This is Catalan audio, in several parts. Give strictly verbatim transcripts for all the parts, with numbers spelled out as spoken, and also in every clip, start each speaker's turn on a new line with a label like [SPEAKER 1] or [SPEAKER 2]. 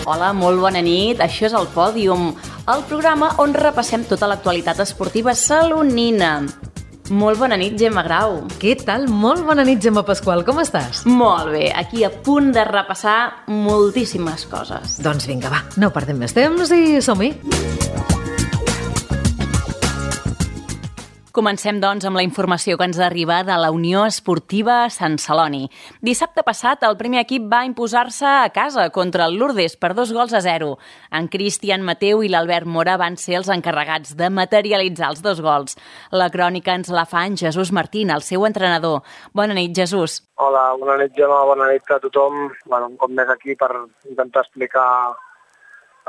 [SPEAKER 1] Hola, molt bona nit. Això és el Pòdium, el programa on repassem tota l'actualitat esportiva salonina. Molt bona nit, Gemma Grau.
[SPEAKER 2] Què tal? Molt bona nit, Gemma Pasqual. Com estàs?
[SPEAKER 1] Molt bé, aquí a punt de repassar moltíssimes coses.
[SPEAKER 2] Doncs vinga, va, no perdem més temps i som-hi.
[SPEAKER 1] Comencem, doncs, amb la informació que ens arriba de la Unió Esportiva Sant Celoni. Dissabte passat, el primer equip va imposar-se a casa contra el Lourdes per dos gols a zero. En Cristian Mateu i l'Albert Mora van ser els encarregats de materialitzar els dos gols. La crònica ens la fa en Jesús Martín, el seu entrenador. Bona nit, Jesús.
[SPEAKER 3] Hola, bona nit, Gemma, bona nit a tothom. Bueno, un cop més aquí per intentar explicar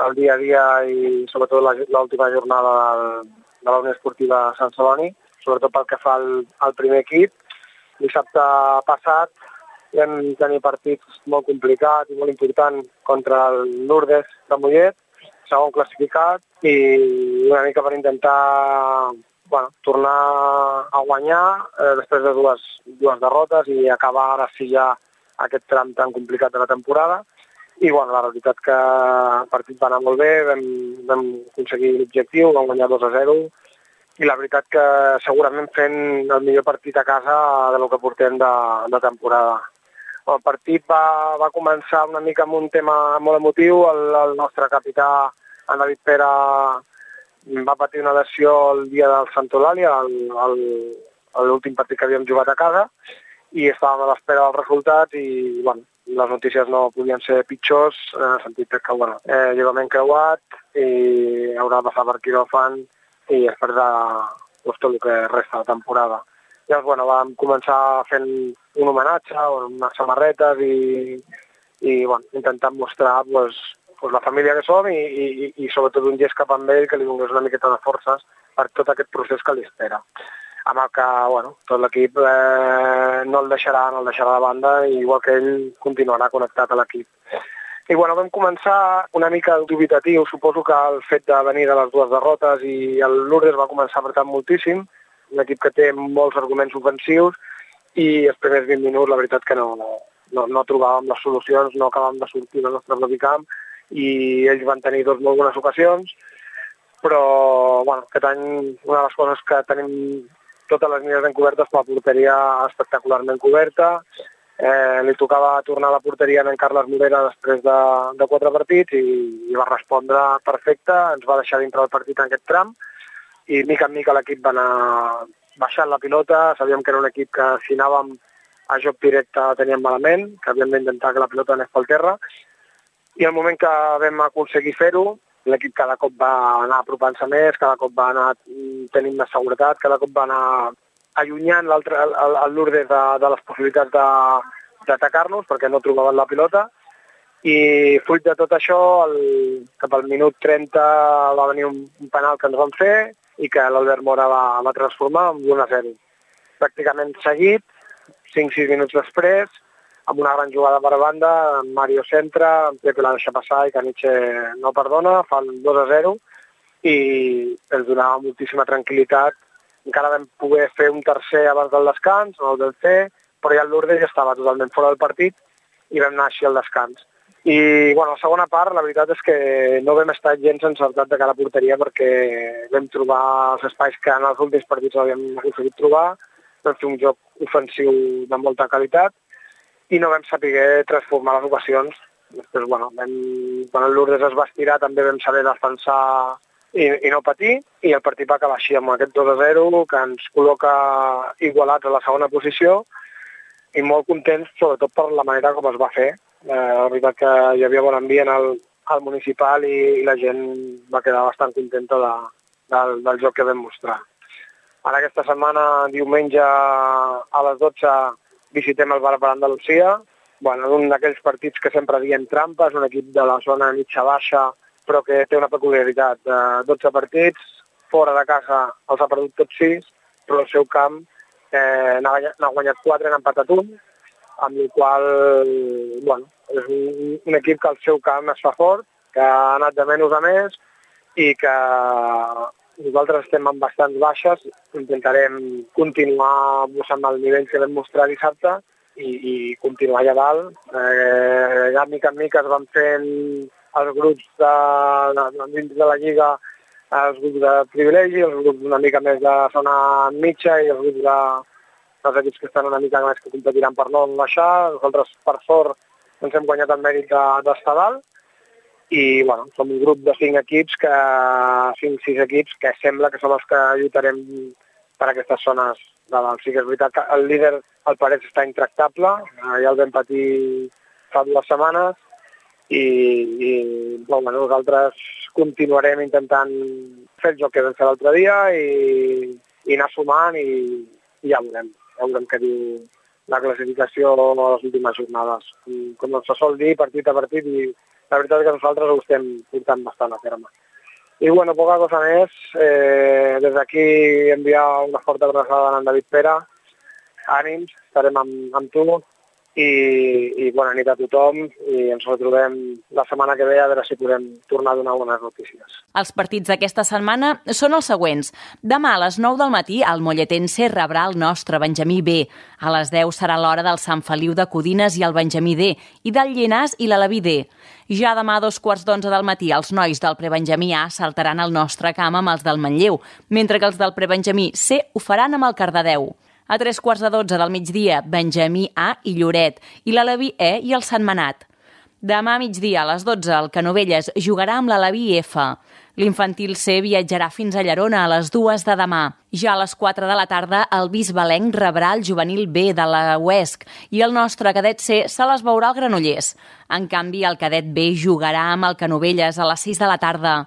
[SPEAKER 3] el dia a dia i sobretot l'última jornada del de la Unió Esportiva Sant Celoni, sobretot pel que fa al, al primer equip. Dissabte passat vam tenir partits molt complicats i molt importants contra el Lourdes de Mollet, segon classificat, i una mica per intentar bueno, tornar a guanyar eh, després de dues, dues derrotes i acabar ara sí ja aquest tram tan complicat de la temporada. I bueno, la veritat que el partit va anar molt bé, vam, vam aconseguir l'objectiu, vam guanyar dos a zero i la veritat que segurament fent el millor partit a casa de lo que portem de, de temporada. El partit va, va començar una mica amb un tema molt emotiu, el, el nostre capità, en David Pere, va patir una lesió el dia del Sant Eulàlia, l'últim partit que havíem jugat a casa, i estàvem a l'espera dels resultats i bueno, les notícies no podien ser pitjors, en el sentit que bueno, eh, lligament creuat i haurà de passar per quiròfan i després de pues, tot el que resta de temporada. Llavors, bueno, vam començar fent un homenatge, unes samarretes i, i bueno, intentant mostrar pues, pues, la família que som i, i, i sobretot un gest cap amb ell que li donés una miqueta de forces per tot aquest procés que li espera. Amb el que bueno, tot l'equip eh, no el deixarà, no el deixarà de banda, i igual que ell continuarà connectat a l'equip. I bueno, vam començar una mica dubitatiu, suposo que el fet de venir de les dues derrotes i el Lourdes va començar apretant moltíssim, un equip que té molts arguments ofensius i els primers vint minuts la veritat que no, no, no trobàvem les solucions, no acabàvem de sortir del nostre propi camp i ells van tenir dos molt bones ocasions, però bueno, aquest any una de les coses que tenim totes les línies ben cobertes, la porteria espectacularment coberta. Eh, li tocava tornar a la porteria a en Carles Morera després de, de quatre partits i, i va respondre perfecte, ens va deixar dintre del partit en aquest tram i mica en mica l'equip va anar baixant la pilota. Sabíem que era un equip que si anàvem a joc directe teníem malament, que havíem d'intentar que la pilota anés pel terra, i al moment que vam aconseguir fer-ho, l'equip cada cop va anar apropant-se més, cada cop va anar tenint més seguretat, cada cop va anar allunyant l'altre, el, el Lourdes de, de les possibilitats d'atacar-nos perquè no trobaven la pilota. I fruit de tot això, el, cap al minut trenta va venir un, un penal que ens van fer i que l'Albert Mora va, va transformar en un a zero. Pràcticament seguit, cinc sis minuts després, amb una gran jugada per banda, Mario centra, en Pepe la deixa passar i Caniche no perdona, fan dos a zero i ens donava moltíssima tranquil·litat. Encara vam poder fer un tercer abans del descans, no el vam fer, però ja el Lourdes ja estava totalment fora del partit i vam anar així al descans. I bueno, la segona part, la veritat és que no vam estar gens encertat de cara a porteria perquè vam trobar els espais que en els últims partits havíem aconseguit trobar, vam fer un joc ofensiu de molta qualitat i no vam saber transformar les ocasions. Després, bueno, vam, quan el Lourdes es va estirar també vam saber defensar i, i no patir, i el partit va acabar així amb aquest dos a zero que ens col·loca igualats a la segona posició i molt contents sobretot per la manera com es va fer. Eh, la veritat que hi havia bon ambient al, al municipal i, i la gent va quedar bastant contenta de, del, del joc que vam mostrar. Ara aquesta setmana, diumenge a les dotze, visitem el Bar per Andalusia. Bueno, és un d'aquells partits que sempre diem trampa, és un equip de la zona mitja-baixa, però que té una peculiaritat. De dotze partits, fora de casa els ha perdut tots sis, però al seu camp eh, n'ha guanyat quatre, n'ha empatat un, amb el qual bueno, és un, un equip que al seu camp es fa fort, que ha anat de menys a més i que nosaltres estem amb bastants baixes, intentarem continuar amb el nivell que vam mostrar dissabte i, i continuar allà dalt. Eh, ja mica en mica es van fent els grups de, de, dins de la Lliga, els grups de privilegi, els grups una mica més de zona mitja i els grups de, dels equips que estan una mica més que competiran per no baixar. Nosaltres, per sort, ens hem guanyat el mèrit d'estar dalt i bueno, som un grup de cinc equips, que cinc sis equips que sembla que som els que lluitarem per aquestes zones de dalt. Sí que és veritat que el líder, el Parets, està intractable, ja el vam patir fa dues setmanes i, i bueno, nosaltres continuarem intentant fer el joc que vam fer l'altre dia i, i anar sumant i, i ja veurem, ja veurem què diu la classificació de les últimes jornades. Com se sol dir, partit a partit, i la veritat és que nosaltres ho estem portant bastant a terme. I bueno, poca cosa més. Eh, des d'aquí enviar una forta abraçada a en David Pere. Ànims, estarem amb, amb tu. I, i bona nit a tothom i ens retrobem la setmana que ve a veure si podem tornar a donar bones notícies.
[SPEAKER 1] Els partits d'aquesta setmana són els següents. Demà a les nou del matí el Molletense rebrà el nostre Benjamí B. A les deu serà l'hora del Sant Feliu de Codines i el Benjamí D, i del Llinàs i l'Aleví D. Ja demà a dos quarts d'onze del matí els nois del Prebenjamí A saltaran al nostre camp amb els del Manlleu, mentre que els del Prebenjamí C ho faran amb el Cardedeu. A tres quarts de dotze del migdia, Benjamí A i Lloret, i l'Aleví E i el Sentmenat. Demà a migdia, a les dotze, el Canovelles jugarà amb l'Aleví F. L'infantil C viatjarà fins a Llerona a les dues de demà. Ja a les quatre de la tarda, el Bisbalenc rebrà el juvenil B de la U E S C i el nostre cadet C se les veurà al Granollers. En canvi, el cadet B jugarà amb el Canovelles a les sis de la tarda.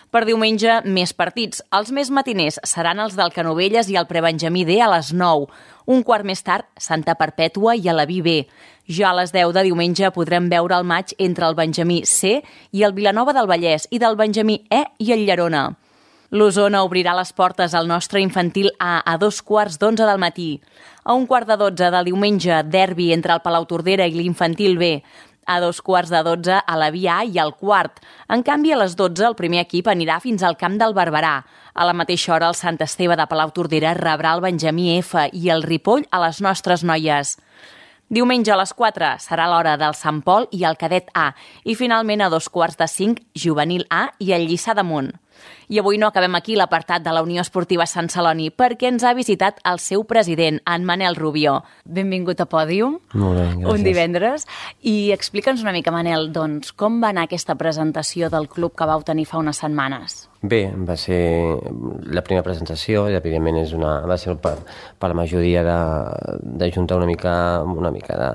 [SPEAKER 1] Per diumenge, més partits. Els més matiners seran els del Canovelles i el Prebenjamí D a les nou. Un quart més tard, Santa Perpètua i Aleví B. Ja a les deu de diumenge podrem veure el maig entre el Benjamí C i el Vilanova del Vallès i del Benjamí E i el Llerona. L'Osona obrirà les portes al nostre infantil A a dos quarts d'onze del matí. A un quart de dotze del diumenge, derbi entre el Palautordera i l'infantil B. A dos quarts de dotze a la Via A i al quart. En canvi, a les dotze el primer equip anirà fins al camp del Barberà. A la mateixa hora el Sant Esteve de Palautordera rebrà el Benjamí F i el Ripoll a les nostres noies. Diumenge a les quatre serà l'hora del Sant Pol i el cadet A. I finalment a dos quarts de cinc, juvenil A i el Lliçà d'Amunt. I avui no acabem aquí l'apartat de la Unió Esportiva Sant Celoni perquè ens ha visitat el seu president, en Manel Rubió. Benvingut a Pòdium.
[SPEAKER 4] Molt bé, gràcies.
[SPEAKER 1] Un divendres. I explica'ns una mica, Manel, doncs, com va anar aquesta presentació del club que vau tenir fa unes setmanes?
[SPEAKER 4] Bé, va ser la primera presentació i evidentment és una, va ser per, per la majoria de, de juntar una mica, una mica de,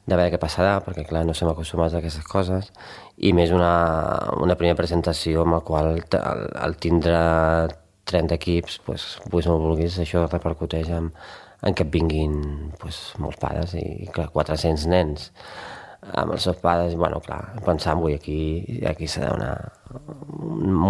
[SPEAKER 4] de veure què passarà, perquè clar, no som acostumats a aquestes coses, i més una, una primera presentació amb la qual el, el tindre trenta equips, pues, pues no vulguis, això repercuteix en, en que et vinguin pues, molts pares i clar, quatre-cents nens amb els seus pares, i bueno, clar, pensant, avui aquí, aquí serà una,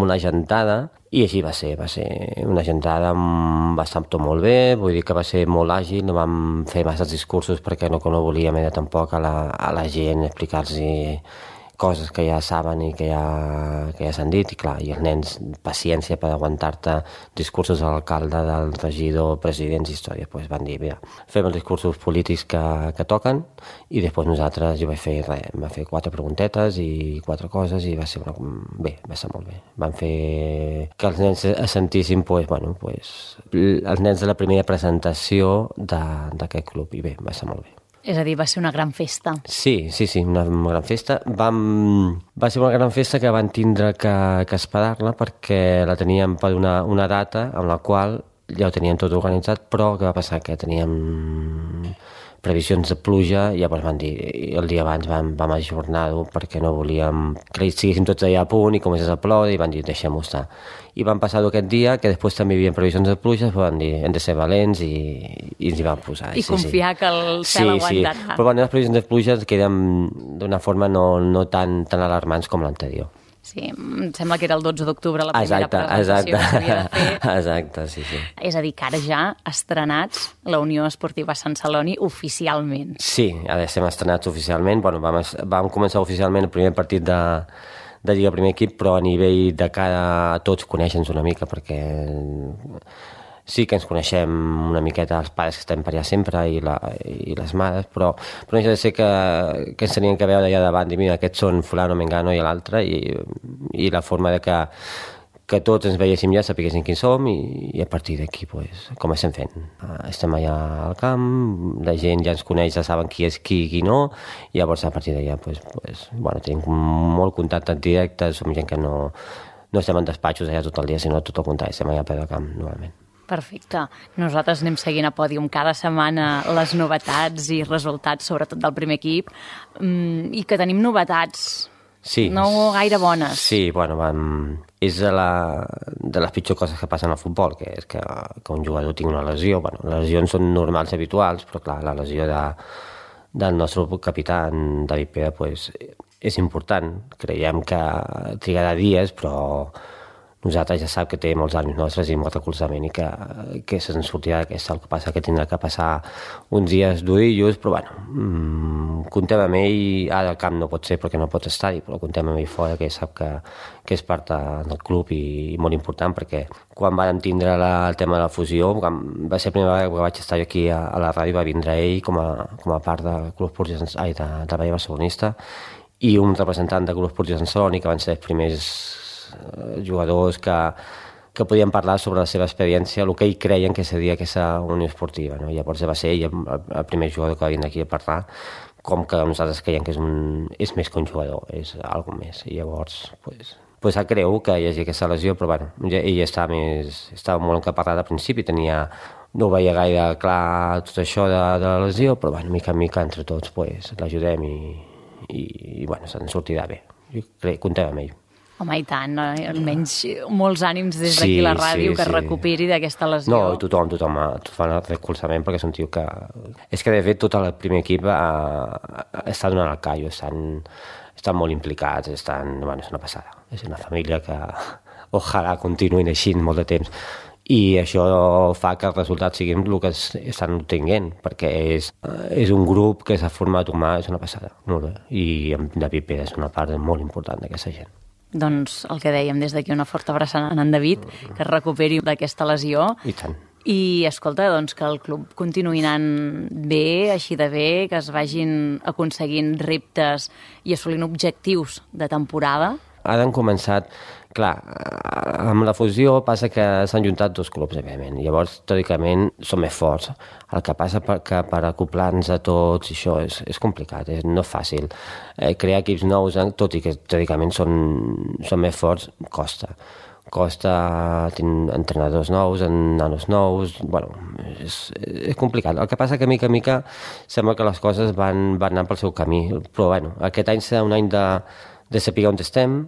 [SPEAKER 4] una gentada, i així va ser, va ser una gentada, va estar tot molt bé, vull dir que va ser molt àgil, no vam fer massa discursos perquè no, no volíem era tampoc a la, a la gent explicar-los coses que ja saben i que ja, que ja s'han dit, i clar, i els nens, paciència per aguantar-te discursos de l'alcalde, del regidor, presidents, històries, doncs van dir, mira, fem els discursos polítics que, que toquen, i després nosaltres, jo vaig fer res, vam fer quatre preguntetes i quatre coses, i va ser una, bé, va ser molt bé. Van fer que els nens es sentissin, doncs, bueno, doncs, els nens de la primera presentació d'aquest club, i bé, va ser molt bé.
[SPEAKER 1] És a dir, va ser una gran festa.
[SPEAKER 4] Sí, sí, sí, una, una gran festa. Vam, va ser una gran festa que van tindre que, que esperar-la perquè la teníem per una, una data en la qual ja ho teníem tot organitzat, però què va passar? Que teníem previsions de pluja i llavors van dir, el dia abans vam, vam ajornar-ho perquè no volíem que estiguéssim tots allà a punt i comencés a ploure i van dir, deixem-ho estar. I van passar-ho aquest dia, que després també hi havia previsions de pluja, però van dir, hem de ser valents i, i ens hi van posar.
[SPEAKER 1] I
[SPEAKER 4] sí,
[SPEAKER 1] confiar sí. que el cel
[SPEAKER 4] sí,
[SPEAKER 1] aguantarà.
[SPEAKER 4] Sí, però bueno, les previsions de pluja queden d'una forma no, no tan, tan alarmants com l'anterior.
[SPEAKER 1] Sí, em sembla que era el dotze d'octubre la primera
[SPEAKER 4] exacte,
[SPEAKER 1] presentació
[SPEAKER 4] exacte.
[SPEAKER 1] que s'havia de fer.
[SPEAKER 4] Exacte, sí, sí.
[SPEAKER 1] És a dir, que ara ja estrenats la Unió Esportiva Sant Celoni oficialment.
[SPEAKER 4] Sí, ara estem estrenats oficialment. Bueno, vam, vam començar oficialment el primer partit de, de Lliga Primer Equip, però a nivell de cara a tots conèixer-nos una mica, perquè sí que ens coneixem una miqueta els pares que estem per allà sempre i, la, i les mares, però, però no deixa de ser que, que ens tenien que veure allà davant i mira, aquests són fulano, mengano i l'altre i, i la forma de que, que tots ens veiéssim ja, sapiguéssim qui som i, i a partir d'aquí pues, com estem fent. Estem allà al camp, la gent ja ens coneix, ja saben qui és qui i qui no, i llavors a partir d'allà pues, pues, bueno, tenim molt contacte directe, som gent que no, no estem en despatxos allà tot el dia, sinó tot el contrari, estem allà a peu de camp normalment.
[SPEAKER 1] Perfecte. Nosaltres anem seguint a Pòdium cada setmana les novetats i resultats, sobretot del primer equip, i que tenim novetats
[SPEAKER 4] sí,
[SPEAKER 1] no gaire bones.
[SPEAKER 4] Sí, bueno, vam... és de, la, de les pitjors coses que passen al futbol, que és que, que un jugador tingui una lesió. Bueno, les lesions són normals i habituals, però clar, la lesió de, del nostre capità, David Pere, pues, és important. Creiem que trigarà dies, però nosaltres ja sap que té molts ànims nostres i molt recolzament i que, que se'n sortirà d'aquesta. El que passa que tindrà que passar uns dies durillos, però bueno, mmm, comptem amb ell, ara al camp no pot ser perquè no pot estar-hi, però comptem amb ell fora, que sap que, que és part del club i, i molt important, perquè quan vam tindre la, el tema de la fusió, quan va ser la primera vegada que vaig estar aquí a, a la ràdio, va vindre ell com a, com a part del Club Esportiu ai, de, de Vall Barcelonista i un representant del Club Esportiu Sant Celoni, que van ser els primers jugadors que, que podien parlar sobre la seva experiència, el que ells creien que seria aquesta Unió Esportiva. No? Llavors va ser ell el, el primer jugador que va vindre aquí a parlar, com que nosaltres creiem que és, un, és més que un jugador, és alguna més. I llavors, pues, pues creu que hi hagi aquesta lesió, però bueno, ell estava, més, estava molt encaparrat al principi, tenia, no veia gaire clar tot això de, de la lesió, però bueno, mica en mica entre tots pues, l'ajudem i, i, i bueno, se'n sortirà bé. Jo crec, comptem amb ell.
[SPEAKER 1] Home, i tant, no? Almenys molts ànims des d'aquí sí, la ràdio sí, que sí. recuperi d'aquesta lesió.
[SPEAKER 4] No, i tothom, tothom fa el recolzament perquè és un tio que... És que de fet tot el primer equip eh, està donant el callo, estan, estan molt implicats, estan... Bueno, és una passada. És una família que ojalà continuïn així molt de temps. I això fa que els resultats siguin el que estan obtenint, perquè és, és un grup que s'ha format humà, és una passada. Molt bé. I David Pere és una part molt important d'aquesta gent.
[SPEAKER 1] Doncs el que dèiem des d'aquí, una forta abraçada a en David, que es recuperi d'aquesta lesió.
[SPEAKER 4] I tant.
[SPEAKER 1] I, escolta, doncs que el club continuï anant bé, així de bé, que es vagin aconseguint reptes i assolint objectius de temporada.
[SPEAKER 4] Ara han començat, clar, amb la fusió passa que s'han juntat dos clubs, evidentment. Llavors, teòricament, són més forts. El que passa per, que per acoplar-nos a tots, això és, és complicat, és, no és fàcil. Eh, crear equips nous, tot i que teòricament són, són més forts, costa. Costa tenir entrenadors nous, nanos nous, bueno, és, és complicat. El que passa que mica a mica sembla que les coses van, van anar pel seu camí. Però bueno, aquest any serà un any de, de saber on estem,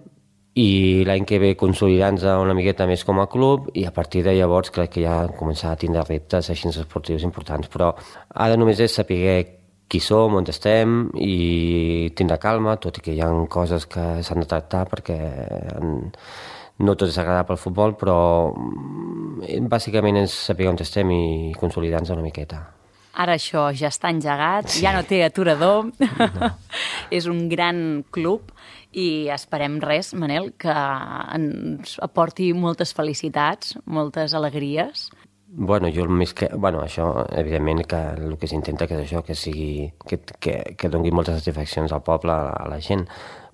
[SPEAKER 4] i l'any que ve consolidar-nos una miqueta més com a club i a partir de llavors crec que ja començar a tindre reptes així esportius importants, però ara només és saber qui som, on estem i tindre calma, tot i que hi ha coses que s'han de tractar perquè no tot és agradable al futbol, però bàsicament és saber on estem i consolidar-nos una miqueta.
[SPEAKER 1] Ara això ja està engegat, sí. Ja no té aturador, no. És un gran club i esperem res, Manel, que ens aporti moltes felicitats, moltes alegries.
[SPEAKER 4] Bueno, jo el més que... Bueno, això, evidentment, que el que s'intenta que és això, que sigui... que, que, que doni moltes satisfaccions al poble, a la gent,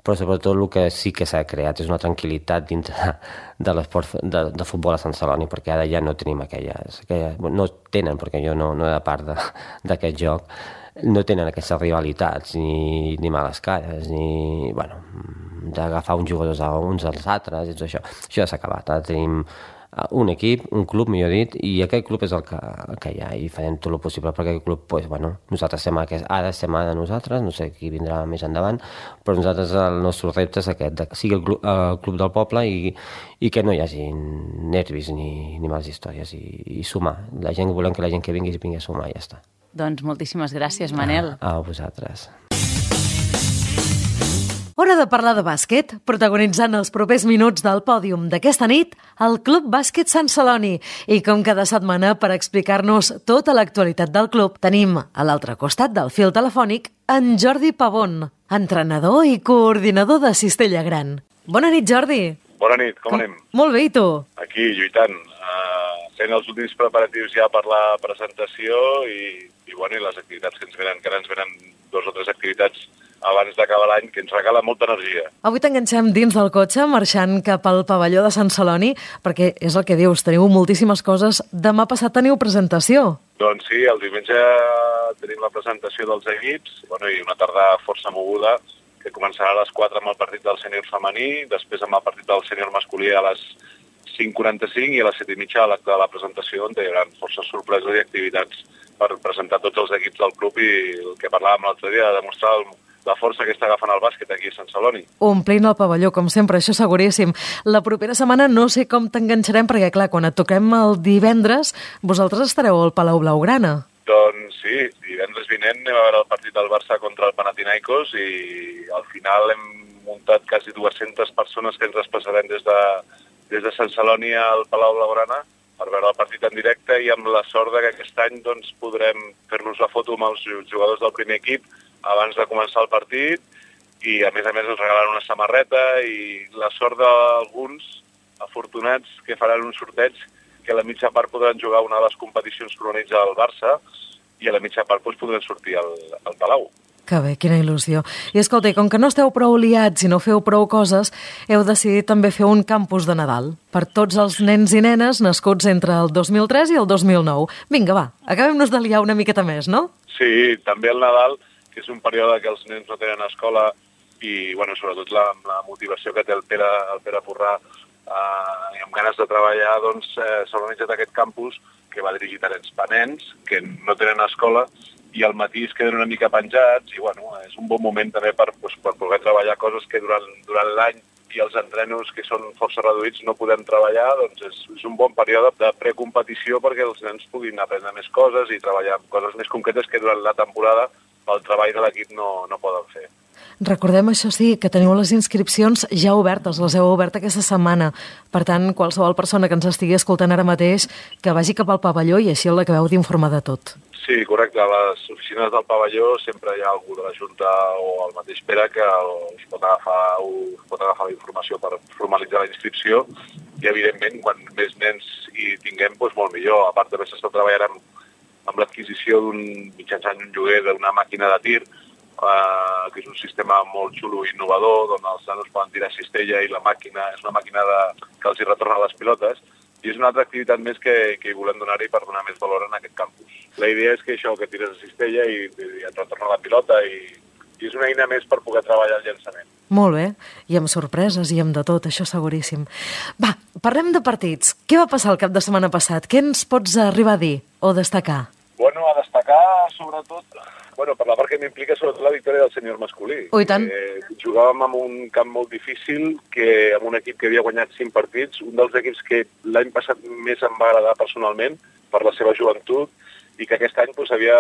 [SPEAKER 4] però sobretot el que sí que s'ha creat és una tranquil·litat dintre de, de l'esport de, de futbol a Sant Celoni, perquè ara ja no tenim aquelles... aquelles no tenen, perquè jo no, no era part d'aquest joc, no tenen aquestes rivalitats, ni, ni males cares, ni... bueno, d'agafar uns jugadors a uns als altres, i tot això. Això ja s'ha acabat. Ara tenim un equip, un club, millor dit, i aquest club és el que, el que hi ha, i farem tot el possible perquè aquest club, pues, bueno, nosaltres estem aquest, ara estem ara nosaltres, no sé qui vindrà més endavant, però nosaltres el nostre repte és aquest, que sigui el club, el club del poble i, i que no hi hagi nervis ni, ni males històries, i, i sumar. La gent, volem que la gent que vingui vingui a sumar, i ja està.
[SPEAKER 1] Doncs moltíssimes gràcies, Manel.
[SPEAKER 4] A, a vosaltres.
[SPEAKER 2] Hora de parlar de bàsquet, protagonitzant els propers minuts del pòdium d'aquesta nit, el Club Bàsquet Sant Celoni. I com cada setmana, per explicar-nos tota l'actualitat del club, tenim a l'altre costat del fil telefònic en Jordi Pavón, entrenador i coordinador de Cistella Gran. Bona nit, Jordi.
[SPEAKER 5] Bona nit, com, com anem?
[SPEAKER 2] Molt bé, i tu?
[SPEAKER 5] Aquí, lluitant. Uh, fent els últims preparatius ja per la presentació i, i, bueno, i les activitats que ens venen, que ara ens venen dos o tres activitats abans d'acabar l'any, que ens regala molta energia.
[SPEAKER 2] Avui t'enganxem dins del cotxe, marxant cap al pavelló de Sant Celoni, perquè és el que dius, teniu moltíssimes coses. Demà passat teniu presentació.
[SPEAKER 5] Doncs sí, el diumenge tenim la presentació dels equips, bueno, i una tarda força moguda, que començarà a les quatre amb el partit del sènior femení, després amb el partit del sènior masculí a les cinc quaranta-cinc i a les set i mitja a l'acte de la presentació, on hi haurà forces sorpreses i activitats per presentar tots els equips del club i el que parlàvem l'altre dia, de demostrar el, la força que està agafant el bàsquet aquí a Sant Celoni.
[SPEAKER 2] Omplint el pavelló, com sempre, això seguríssim. La propera setmana no sé com t'enganxarem, perquè, clar, quan et toquem el divendres, vosaltres estareu al Palau Blaugrana.
[SPEAKER 5] Doncs sí, divendres vinent anem a veure el partit del Barça contra el Panathinaikos i al final hem muntat quasi dues-centes persones que ens desplaçarem des de, des de Sant Celoni al Palau Blaugrana per veure el partit en directe i amb la sort que aquest any doncs, podrem fer-nos la foto amb els jugadors del primer equip abans de començar el partit i a més a més ens regalaran una samarreta i la sort d'alguns afortunats que faran un sorteig que a la mitja part podran jugar una de les competicions que organitza el Barça i a la mitja part doncs, podran sortir al, al Palau.
[SPEAKER 2] Que bé, quina il·lusió. I escolta, com que no esteu prou liats i no feu prou coses, heu decidit també fer un campus de Nadal per tots els nens i nenes nascuts entre el dos mil tres i el dos mil nou. Vinga, va, acabem-nos de liar una miqueta més, no?
[SPEAKER 5] Sí, també el Nadal, que és un període que els nens no tenen escola i, bueno, sobretot la, la motivació que té el Pere, el Pere Porrà eh, i amb ganes de treballar, doncs eh, s'ha organitzat aquest campus que va dirigit a nens penents, que no tenen escola, i al matí es queden una mica penjats i bueno, és un bon moment també per, doncs, per poder treballar coses que durant, durant l'any i els entrenos que són força reduïts no podem treballar, doncs és, és un bon període de precompetició perquè els nens puguin aprendre més coses i treballar coses més concretes que durant la temporada pel treball de l'equip no, no poden fer.
[SPEAKER 2] Recordem, això sí, que teniu les inscripcions ja obertes, les heu obert aquesta setmana. Per tant, qualsevol persona que ens estigui escoltant ara mateix, que vagi cap al pavelló i així l'acabeu d'informar de tot.
[SPEAKER 5] Sí, correcte. A les oficines del pavelló sempre hi ha algú de la Junta o el mateix Pere que us pot agafar, us pot agafar la informació per formalitzar la inscripció i, evidentment, quan més nens hi tinguem, doncs molt millor. A part, també s'està treballant amb, amb l'adquisició d'un mitjançant un lloguer d'una màquina de tir, eh, que és un sistema molt xulo i innovador, on els nanos poden tirar cistella i la màquina és una màquina de, que els hi retorna les pilotes. I és una altra activitat més que, que hi volem donar-hi per donar més valor en aquest campus. La idea és que això, que tires a cistella i, i et retorna la pilota i, i és una eina més per poder treballar el llançament.
[SPEAKER 2] Molt bé, i amb sorpreses i amb de tot, això seguríssim. Va, parlem de partits. Què va passar el cap de setmana passat? Què ens pots arribar a dir o destacar?
[SPEAKER 5] Bueno, a destacar sobretot, bueno, per la part que m'implica sobretot la victòria del sènior masculí.
[SPEAKER 2] Oh, i tant.
[SPEAKER 5] Eh, jugàvem en un camp molt difícil, que amb un equip que havia guanyat cinc partits, un dels equips que l'any passat més em va agradar personalment per la seva joventut i que aquest any doncs, havia,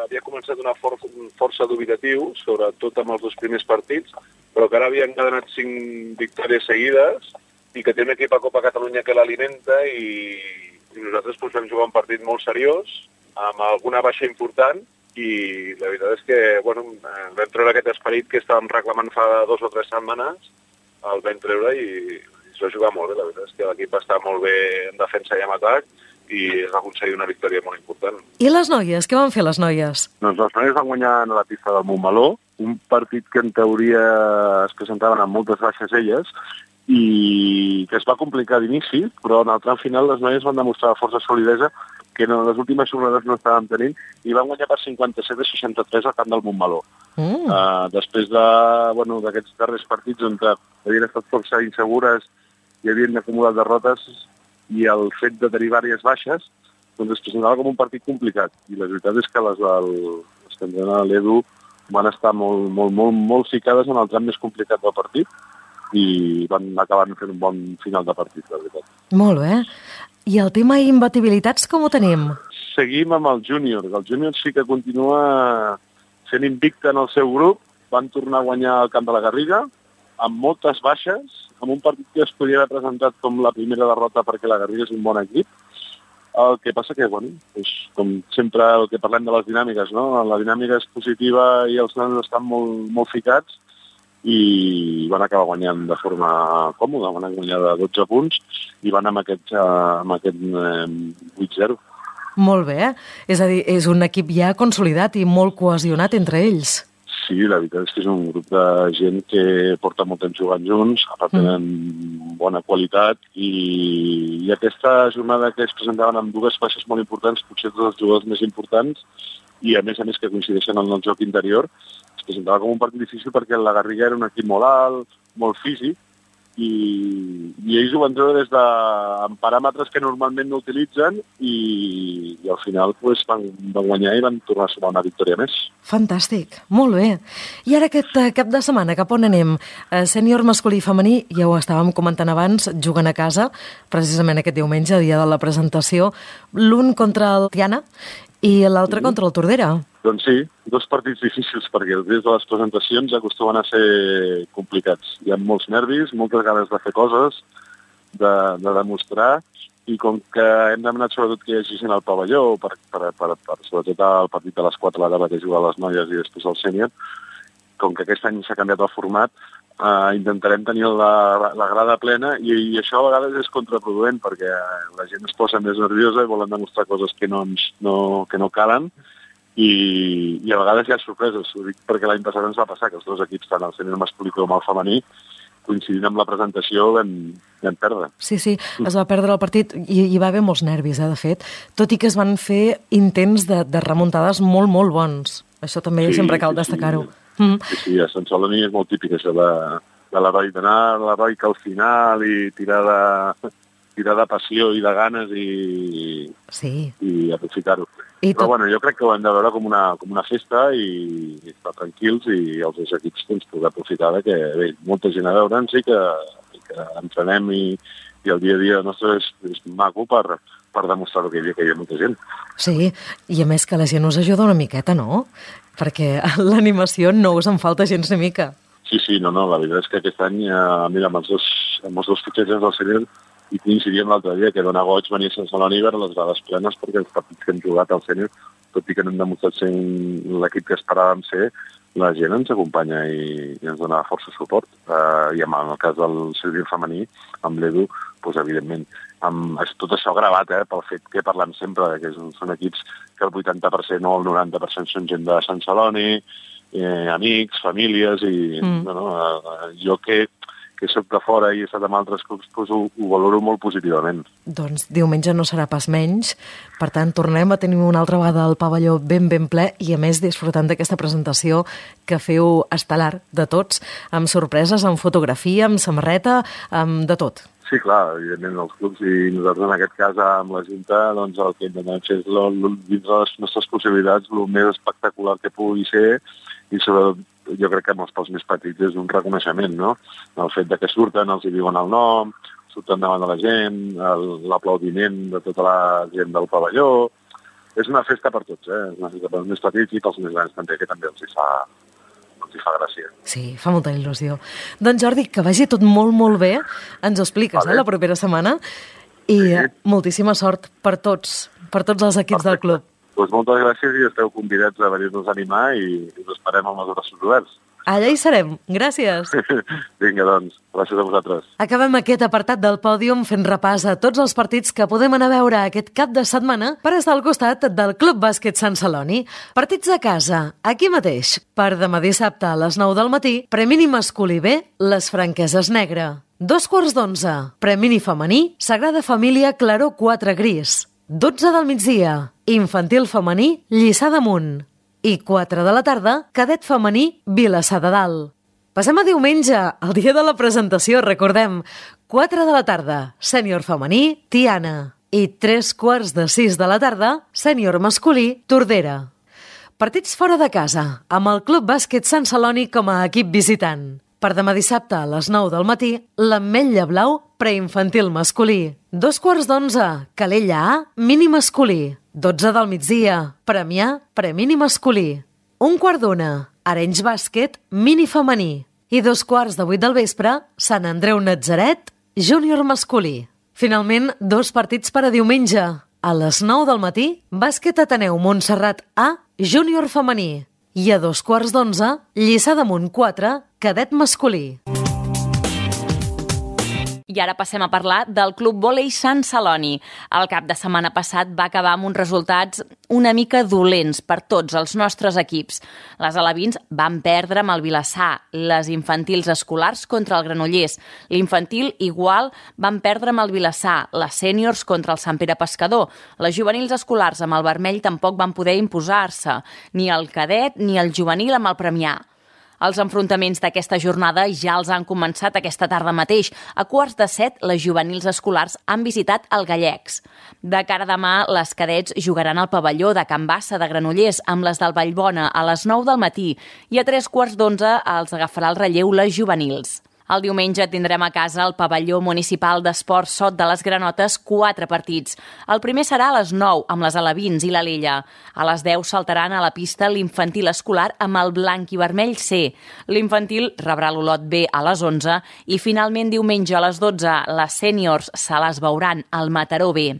[SPEAKER 5] havia començat una for força dubitatiu, sobretot amb els dos primers partits, però que ara havia encadenat cinc victòries seguides i que té un equip a Copa Catalunya que l'alimenta i, i nosaltres doncs, vam jugar un partit molt seriós, amb alguna baixa important, i la veritat és que bueno, vam treure aquest esperit que estàvem reclamant fa dos o tres setmanes, el vam treure i, i es va jugar molt bé. La veritat és que l'equip està molt bé en defensa i en atac i es va aconseguir una victòria molt important.
[SPEAKER 2] I les noies? Què van fer les noies?
[SPEAKER 6] Doncs les noies van guanyar a la pista del Montmeló, un partit que en teoria es presentaven amb moltes baixes elles i que es va complicar d'inici, però en el tram final les noies van demostrar força solidesa que en les últimes jornades no estàvem tenint i van guanyar per cinquanta-set a seixanta-tres al camp del Montmeló. Mm. Uh, després de, bueno, d'aquests darrers partits on havien estat força insegures i havien acumulat derrotes i el fet de tenir diverses baixes doncs es presentava com un partit complicat i la veritat és que les, del, les que entrena l'Edu van estar molt, molt, molt, molt ficades en el tram més complicat del partit i van acabar fent un bon final de partit, la veritat.
[SPEAKER 2] Molt bé. I el tema imbatibilitats com ho tenim?
[SPEAKER 6] Seguim amb el júnior. El júnior sí que continua sent invicte en el seu grup. Van tornar a guanyar el camp de la Garriga amb moltes baixes, amb un partit que es podria haver presentat com la primera derrota perquè la Garriga és un bon equip. El que passa que, bueno, és com sempre el que parlem de les dinàmiques, no? La dinàmica és positiva i els nanos estan molt, molt ficats i van acabar guanyant de forma còmoda, van guanyar de dotze punts i van amb aquest, amb aquest eh, vuit zero.
[SPEAKER 2] Molt bé, eh? És a dir, és un equip ja consolidat i molt cohesionat entre ells.
[SPEAKER 6] Sí, la veritat és que és un grup de gent que porta molt temps jugant junts, a part tenen mm. bona qualitat i, i aquesta jornada que es presentaven amb dues baixes molt importants, potser tots els jugadors més importants, i a més a més que coincideixen en el joc interior, es presentava com un partit difícil perquè la Garriga era un equip molt alt, molt físic, i, i ells ho van treure des de amb paràmetres que normalment no utilitzen i, i al final pues, van, van guanyar i van tornar a sumar una victòria més.
[SPEAKER 2] Fantàstic, molt bé. I ara aquest cap de setmana, cap on anem? Eh, sènior masculí i femení, ja ho estàvem comentant abans, juguen a casa, precisament aquest diumenge, dia de la presentació, l'un contra el Tiana i l'altre sí. contra el Tordera.
[SPEAKER 6] Doncs sí, dos partits difícils, perquè els dies de les presentacions acostumen a ser complicats. Hi ha molts nervis, moltes ganes de fer coses, de, de demostrar, i com que hem demanat sobretot que hi hagi gent al pavelló, per, per, per, per, sobretot el partit de les quatre a la tarda que juguen les noies i després el sènior, com que aquest any s'ha canviat el format, eh, intentarem tenir la, la grada plena i, i això a vegades és contraproduent perquè la gent es posa més nerviosa i volen demostrar coses que no, ens, no, que no calen, I, i a vegades hi ha sorpreses. Ho dic perquè l'any passat ens va passar que els dos equips, tant el sènior masculí com el femení, coincidint amb la presentació, vam, vam perdre.
[SPEAKER 2] Sí, sí, es va perdre el partit i hi va haver molts nervis, eh, de fet, tot i que es van fer intents de, de remuntades molt, molt bons. Això també sí, sempre cal destacar-ho.
[SPEAKER 6] Sí, mm. sí, sí, a Sant Celoni és molt típic això de, de l'heroi, d'anar a l'heroi que al final i tirar de, tirar de passió i de ganes i,
[SPEAKER 2] sí.
[SPEAKER 6] i aprofitar-ho.
[SPEAKER 2] I
[SPEAKER 6] Però
[SPEAKER 2] tot...
[SPEAKER 6] bueno, jo crec que ho hem de veure com una, com una festa i, i estar tranquils i els dos equips doncs, poder aprofitar que bé, molta gent a veure'ns i que, i que entrenem i, i el dia a dia nostre és, és maco per, per demostrar que hi havia, que hi havia molta gent.
[SPEAKER 2] Sí, i a més que la gent us ajuda una miqueta, no? Perquè l'animació no us en falta gens ni mica.
[SPEAKER 6] Sí, sí, no, no, la veritat és que aquest any, eh, mira, amb els dos, amb els dos fitxatges del sènior i coincidíem l'altre dia que dona goig venir a Sant Celoni a veure les grades plenes perquè els partits que hem jugat al sènior, tot i que no hem demostrat ser l'equip que esperàvem ser, la gent ens acompanya i, i ens dona força suport. Uh, I en el cas del sènior femení, amb l'Edu, doncs, evidentment, amb tot això gravat eh, pel fet que parlem sempre, que són equips que el vuitanta per cent o el noranta per cent són gent de Sant Celoni, eh, amics, famílies, i mm. no, no, uh, jo que que soc de fora i he estat amb altres clubs, doncs ho, ho valoro molt positivament.
[SPEAKER 2] Doncs diumenge no serà pas menys, per tant tornem a tenir una altra vegada el pavelló ben ben ple i a més disfrutant d'aquesta presentació que feu estel·lar de tots, amb sorpreses, amb fotografia, amb samarreta, amb de tot.
[SPEAKER 6] Sí, clar, evidentment els clubs i nosaltres en aquest cas amb la Junta doncs el que intentem fer és lo, lo, dins de les nostres possibilitats el més espectacular que pugui ser i sobretot jo crec que amb els pels més petits és un reconeixement, no? El fet de que surten, els hi diuen el nom, surten davant de la gent, l'aplaudiment de tota la gent del pavelló. És una festa per tots, eh? És una festa pels més petits i pels més grans també, que també els hi fa, els hi fa gràcia.
[SPEAKER 2] Sí, fa molta il·lusió. Doncs Jordi, que vagi tot molt, molt bé. Ens ho expliques, vale. eh, la propera setmana. I sí. moltíssima sort per tots, per tots els equips Perfecte. del club.
[SPEAKER 6] Doncs moltes gràcies i esteu convidats a venir-nos a animar i us esperem amb els braços oberts.
[SPEAKER 2] Allà hi serem. Gràcies.
[SPEAKER 6] Vinga, doncs. Gràcies a vosaltres.
[SPEAKER 2] Acabem aquest apartat del pòdium fent repàs a tots els partits que podem anar a veure aquest cap de setmana per estar al costat del Club Bàsquet Sant Celoni. Partits a casa, aquí mateix. Per demà dissabte a les nou del matí, Premini masculí B, Les Franqueses Negre. Dos quarts d'onze, Premini femení, Sagrada Família Claró quatre Gris. dotze del migdia, Infantil femení, Lliçà d'Amunt. I quatre de la tarda, Cadet femení, Vilassar de Dalt. Passem a diumenge, el dia de la presentació, recordem. quatre de la tarda, Sènior femení, Tiana. I tres quarts de sis de la tarda, Sènior masculí, Tordera. Partits fora de casa, amb el Club Bàsquet Sant Celoni com a equip visitant. Per demà dissabte a les nou del matí, l'Ametlla Blau, preinfantil masculí. Dos quarts d'onze, Calella A, mini masculí. dotze del migdia, Premià, premini masculí. Un quart d'una, Arenys Bàsquet, mini femení. I dos quarts de vuit del vespre, Sant Andreu Natzaret, júnior masculí. Finalment, dos partits per a diumenge. A les nou del matí, Bàsquet Ateneu Montserrat A, júnior femení. I a dos quarts d'onze, Lliçà d'Amunt quatre, cadet masculí.
[SPEAKER 1] I ara passem a parlar del Club Vòlei Sant Celoni. El cap de setmana passat va acabar amb uns resultats una mica dolents per tots els nostres equips. Les alevins van perdre amb el Vilassar, les infantils escolars contra el Granollers. L'infantil igual van perdre amb el Vilassar, les sèniors contra el Sant Pere Pescador. Les juvenils escolars amb el Vermell tampoc van poder imposar-se, ni el cadet ni el juvenil amb el Premià. Els enfrontaments d'aquesta jornada ja els han començat aquesta tarda mateix. A quarts de set, les juvenils escolars han visitat el Gallecs. De cara a demà, les cadets jugaran al pavelló de Can Bassa de Granollers amb les del Vallbona a les nou del matí i a tres quarts d'onze els agafarà el relleu les juvenils. El diumenge tindrem a casa al pavelló municipal d'esports Sot de les Granotes quatre partits. El primer serà a les nou, amb les alevins i l'Alella. A les deu saltaran a la pista l'infantil escolar amb el blanc i vermell C. L'infantil rebrà l'Olot B a les onze i finalment diumenge a les dotze les sèniors se les veuran al Mataró B.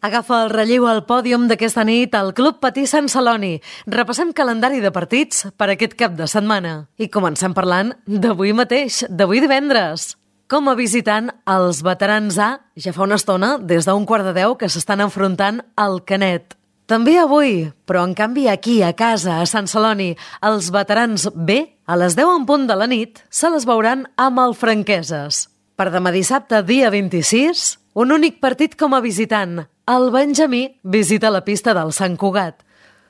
[SPEAKER 2] Agafa el relleu al pòdium d'aquesta nit al Club Patí Sant Celoni. Repassem calendari de partits per aquest cap de setmana. I comencem parlant d'avui mateix, d'avui divendres. Com a visitant, els veterans A ja fa una estona, des d'un quart de deu, que s'estan enfrontant al Canet. També avui, però en canvi aquí, a casa, a Sant Celoni, els veterans B, a les deu en punt de la nit, se les veuran amb el Franqueses. Per demà dissabte, dia vint-i-sis, un únic partit com a visitant. El Benjamí visita la pista del Sant Cugat.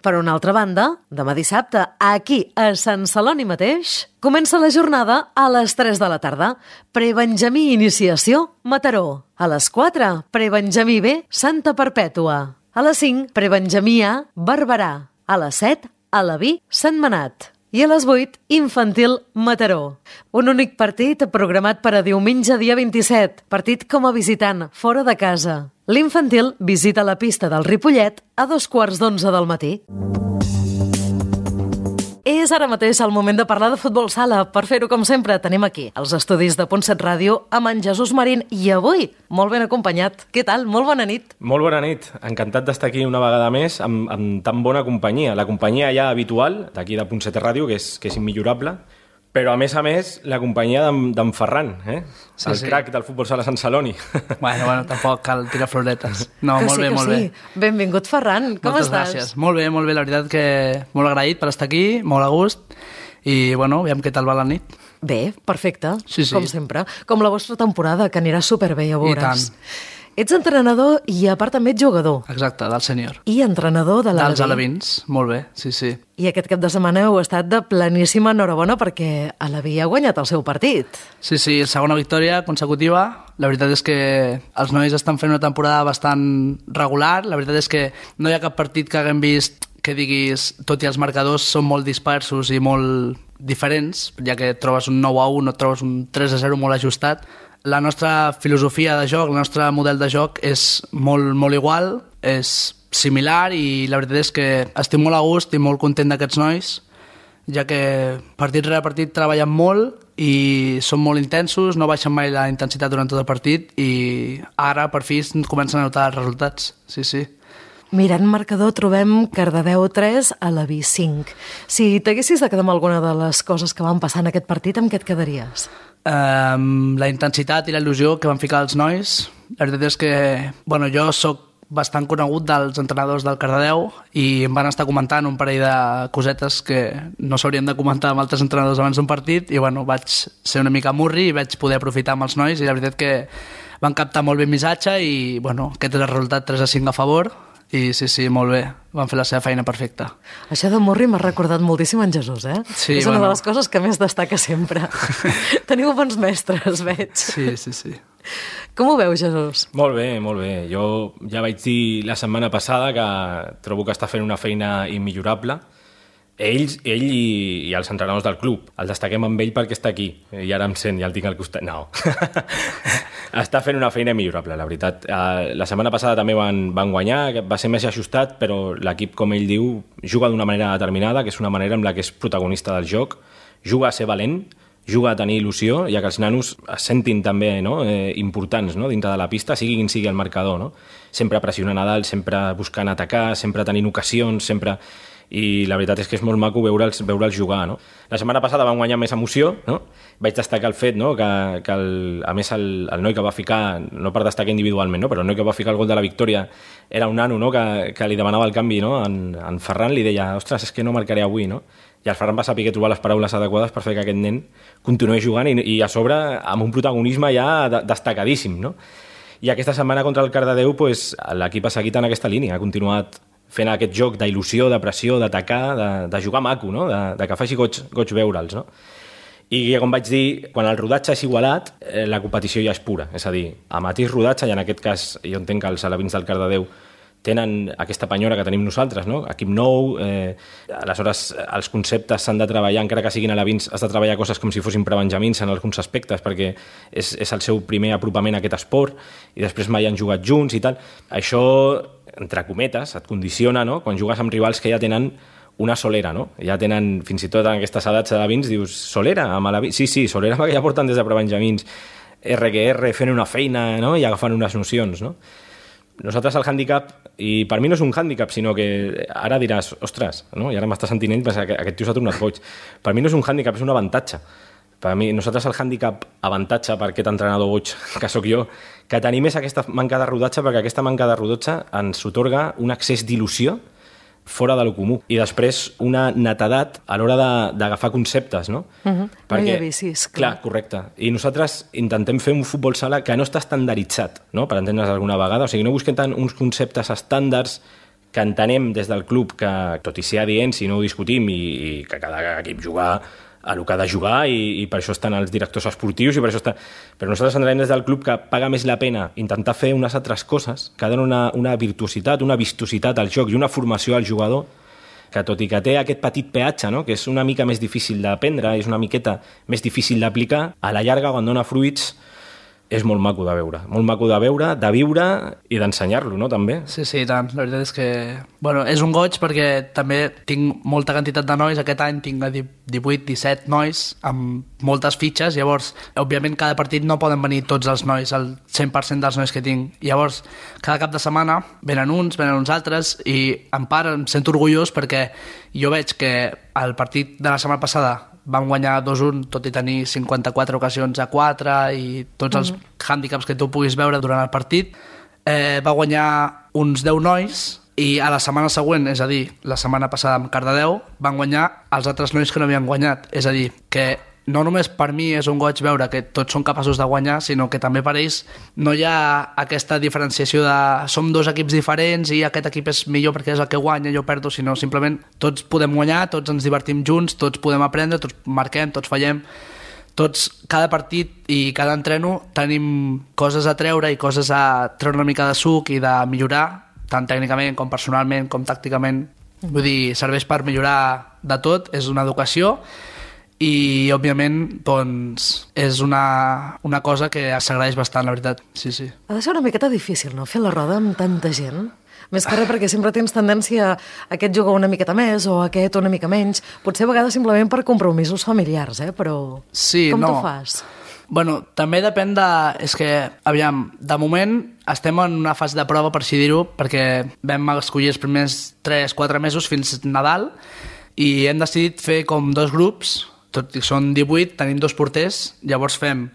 [SPEAKER 2] Per una altra banda, demà dissabte, aquí, a Sant Celoni mateix, comença la jornada a les tres de la tarda. Pre-Benjamí Iniciació, Mataró. A les quatre, Pre-Benjamí B, Santa Perpètua. A les cinc, Pre-Benjamí A, Barberà. A les set, Alaví, Sentmenat. I a les vuit, Infantil Mataró. Un únic partit programat per a diumenge dia vint-i-set, partit com a visitant, fora de casa. L'infantil visita la pista del Ripollet a dos quarts d'onze del matí. És ara mateix el moment de parlar de futbol sala. Per fer-ho, com sempre, tenim aquí els estudis de Punt set Ràdio amb en Jesús Marín i avui molt ben acompanyat. Què tal? Molt bona nit.
[SPEAKER 7] Molt bona nit. Encantat d'estar aquí una vegada més amb, amb tan bona companyia. La companyia ja habitual d'aquí de Punt set Ràdio, que és, que és immillorable, però a més a més la companyia d'en Ferran, eh? Sí, el sí. Crac del futbol sala Sant Celoni.
[SPEAKER 8] Bueno, bueno, tampoc cal tirar floretes. No,
[SPEAKER 2] que
[SPEAKER 8] molt
[SPEAKER 2] sí,
[SPEAKER 8] bé, molt
[SPEAKER 2] sí.
[SPEAKER 8] bé.
[SPEAKER 2] Benvingut, Ferran. Com
[SPEAKER 8] Moltes
[SPEAKER 2] estàs?
[SPEAKER 8] Gràcies. Molt bé, molt bé. La veritat que molt agraït per estar aquí, molt a gust. I, bueno, aviam què tal va la nit.
[SPEAKER 2] Bé, perfecte,
[SPEAKER 8] sí, sí.
[SPEAKER 2] com sempre. Com la vostra temporada, que anirà superbé, ja veuràs.
[SPEAKER 8] I tant.
[SPEAKER 2] Ets entrenador i a part també ets jugador.
[SPEAKER 8] Exacte, del sènior.
[SPEAKER 2] I entrenador de l'Aleví.
[SPEAKER 8] Dels alevins, molt bé, sí, sí.
[SPEAKER 2] I aquest cap de setmana heu estat de pleníssima enhorabona perquè Aleví ha guanyat el seu partit.
[SPEAKER 8] Sí, sí, segona victòria consecutiva. La veritat és que els nois estan fent una temporada bastant regular. La veritat és que no hi ha cap partit que haguem vist que diguis, tot i els marcadors són molt dispersos i molt diferents, ja que trobes un nou a u, no trobes un tres a zero molt ajustat. La nostra filosofia de joc, el nostre model de joc és molt, molt igual, és similar i la veritat és que estic molt a gust i molt content d'aquests nois, ja que partit rere partit treballen molt i són molt intensos, no baixen mai la intensitat durant tot el partit i ara per fi comencen a notar els resultats, sí, sí.
[SPEAKER 2] Mirant marcador trobem Cardedeu tres, Aleví cinc. Si t'haguessis de quedar amb alguna de les coses que van passar en aquest partit, amb què et quedaries?
[SPEAKER 8] Um, la intensitat i la il·lusió que van ficar els nois. La veritat és que bueno, jo sóc bastant conegut dels entrenadors del Cardedeu i em van estar comentant un parell de cosetes que no s'haurien de comentar amb altres entrenadors abans d'un partit i bueno, vaig ser una mica murri i vaig poder aprofitar amb els nois i la veritat que van captar molt bé el missatge i bueno, aquest és el resultat tres a cinc a favor. I sí, sí, molt bé. Van fer la seva feina perfecta.
[SPEAKER 2] Això de Murri m'ha recordat moltíssim en Jesús, eh?
[SPEAKER 8] Sí,
[SPEAKER 2] és una
[SPEAKER 8] bueno.
[SPEAKER 2] de les coses que més destaca sempre. Teniu bons mestres, veig.
[SPEAKER 8] Sí, sí, sí.
[SPEAKER 2] Com ho veus, Jesús?
[SPEAKER 7] Molt bé, molt bé. Jo ja vaig dir la setmana passada que trobo que està fent una feina immillorable. Ells, ell i, i els entrenadors del club. El destaquem amb ell perquè està aquí. I ara em sent, ja el tinc al costat. No. Està fent una feina millorable, la veritat. La setmana passada també van, van guanyar, va ser més ajustat, però l'equip, com ell diu, juga d'una manera determinada, que és una manera en la que és protagonista del joc, juga a ser valent, juga a tenir il·lusió, ja que els nanos es sentin també no? eh, importants no? dintre de la pista, sigui quin sigui el marcador. No? Sempre pressionant a dalt, sempre buscant atacar, sempre tenint ocasions, sempre... i la veritat és que és molt maco veure'ls veure'ls jugar, no? La setmana passada vam guanyar més emoció, no? Vaig destacar el fet, no?, que, que el, a més el, el noi que va ficar, no per destacar individualment, no?, però el noi que va ficar el gol de la victòria era un nano, no?, que, que li demanava el canvi, no?, en, en Ferran li deia, ostres, és que no marcaré avui, no? I el Ferran va saber trobar les paraules adequades per fer que aquest nen continuï jugant i, i a sobre amb un protagonisme ja de, destacadíssim, no? I aquesta setmana contra el Cardedeu pues, l'equip ha seguit en aquesta línia, ha continuat fent aquest joc d'il·lusió, de pressió, d'atacar, de, de jugar maco, no? de, de que faci goig, goig veure'ls. No? I com vaig dir, quan el rodatge és igualat, eh, la competició ja és pura. És a dir, a mateix rodatge, i en aquest cas jo entenc que els alevins del Cardedeu tenen aquesta penyora que tenim nosaltres, no? Equip nou, eh, aleshores els conceptes s'han de treballar, encara que siguin alevins, has de treballar coses com si fossin prebenjamins en alguns aspectes, perquè és, és el seu primer apropament a aquest esport, i després mai han jugat junts i tal. Això, entre cometes, et condiciona, no? Quan jugues amb rivals que ja tenen una solera, no? Ja tenen, fins i tot en aquestes edats alevins, dius, solera? Amb alevins? Sí, sí, solera perquè ja porten des de prebenjamins, erre que erre, fent una feina, no? I agafant unes nocions, no? Nosaltres el hàndicap, i per mi no és un hàndicap, sinó que ara diràs, ostres, no? I ara m'està sentint ell, perquè aquest tio s'ha tornat boig. Per mi no és un hàndicap, és un avantatge. Per mi, nosaltres el hàndicap avantatge per aquest entrenador boig que sóc jo, que tenim és aquesta manca de rodatge, perquè aquesta manca de rodatge ens otorga un excés d'il·lusió fora de lo comú. I després una netedat a l'hora d'agafar conceptes, no?
[SPEAKER 2] Uh-huh.
[SPEAKER 7] Perquè,
[SPEAKER 2] no hi ha vicis.
[SPEAKER 7] Clar. clar, correcte. I nosaltres intentem fer un futbol sala que no està estandarditzat, no? Per entendre's alguna vegada. O sigui, no busquem tant uns conceptes estàndards que entenem des del club que, tot i ser adients, si no ho discutim, i, i que cada equip jugar a el que ha de jugar, i, i per això estan els directors esportius, i per això està... Però nosaltres entenem des del club que paga més la pena intentar fer unes altres coses que donen una, una virtuositat, una vistositat al joc i una formació al jugador, que tot i que té aquest petit peatge, no? Que és una mica més difícil d'aprendre, és una miqueta més difícil d'aplicar, a la llarga, quan dona fruits, és molt maco de veure. Molt maco de veure, de viure i d'ensenyar-lo, no? També.
[SPEAKER 8] Sí, sí, tant. La veritat és que... Bueno, és un goig perquè també tinc molta quantitat de nois. Aquest any tinc divuit disset nois amb moltes fitxes. Llavors, òbviament, cada partit no poden venir tots els nois, el cent per cent dels nois que tinc. Llavors, cada cap de setmana venen uns, venen uns altres, i en part em sento orgullós perquè jo veig que el partit de la setmana passada vam guanyar dos un, tot i tenir cinquanta-quatre ocasions a quatre i tots els mm-hmm. hàndicaps que tu puguis veure durant el partit. Eh, va guanyar uns deu nois i a la setmana següent, és a dir, la setmana passada amb Cardedeu, van guanyar els altres nois que no havien guanyat. És a dir, que no només per mi és un goig veure que tots són capaços de guanyar, sinó que també per ells no hi ha aquesta diferenciació de som dos equips diferents i aquest equip és millor perquè és el que guanya i jo perdo, sinó simplement tots podem guanyar, tots ens divertim junts, tots podem aprendre, tots marquem, tots fallem, tots, cada partit i cada entreno tenim coses a treure i coses a treure una mica de suc i de millorar, tant tècnicament com personalment com tàcticament. Vull dir, serveix per millorar de tot, és una educació, i òbviament doncs, és una, una cosa que s'agraeix bastant, la veritat. Sí, sí.
[SPEAKER 2] Ha de ser una miqueta difícil, no?, fer la roda amb tanta gent. Més que res perquè sempre tens tendència a aquest jugar una miqueta més o aquest una mica menys. Potser a vegades simplement per compromisos familiars, eh? Però
[SPEAKER 8] sí,
[SPEAKER 2] com
[SPEAKER 8] no.
[SPEAKER 2] t'ho fas?
[SPEAKER 8] Bueno, també depèn de... És que, aviam, de moment estem en una fase de prova, per així dir-ho, perquè vam escollir els primers tres quatre mesos fins Nadal i hem decidit fer com dos grups. Tot i que són divuit, tenim dos porters, llavors fem,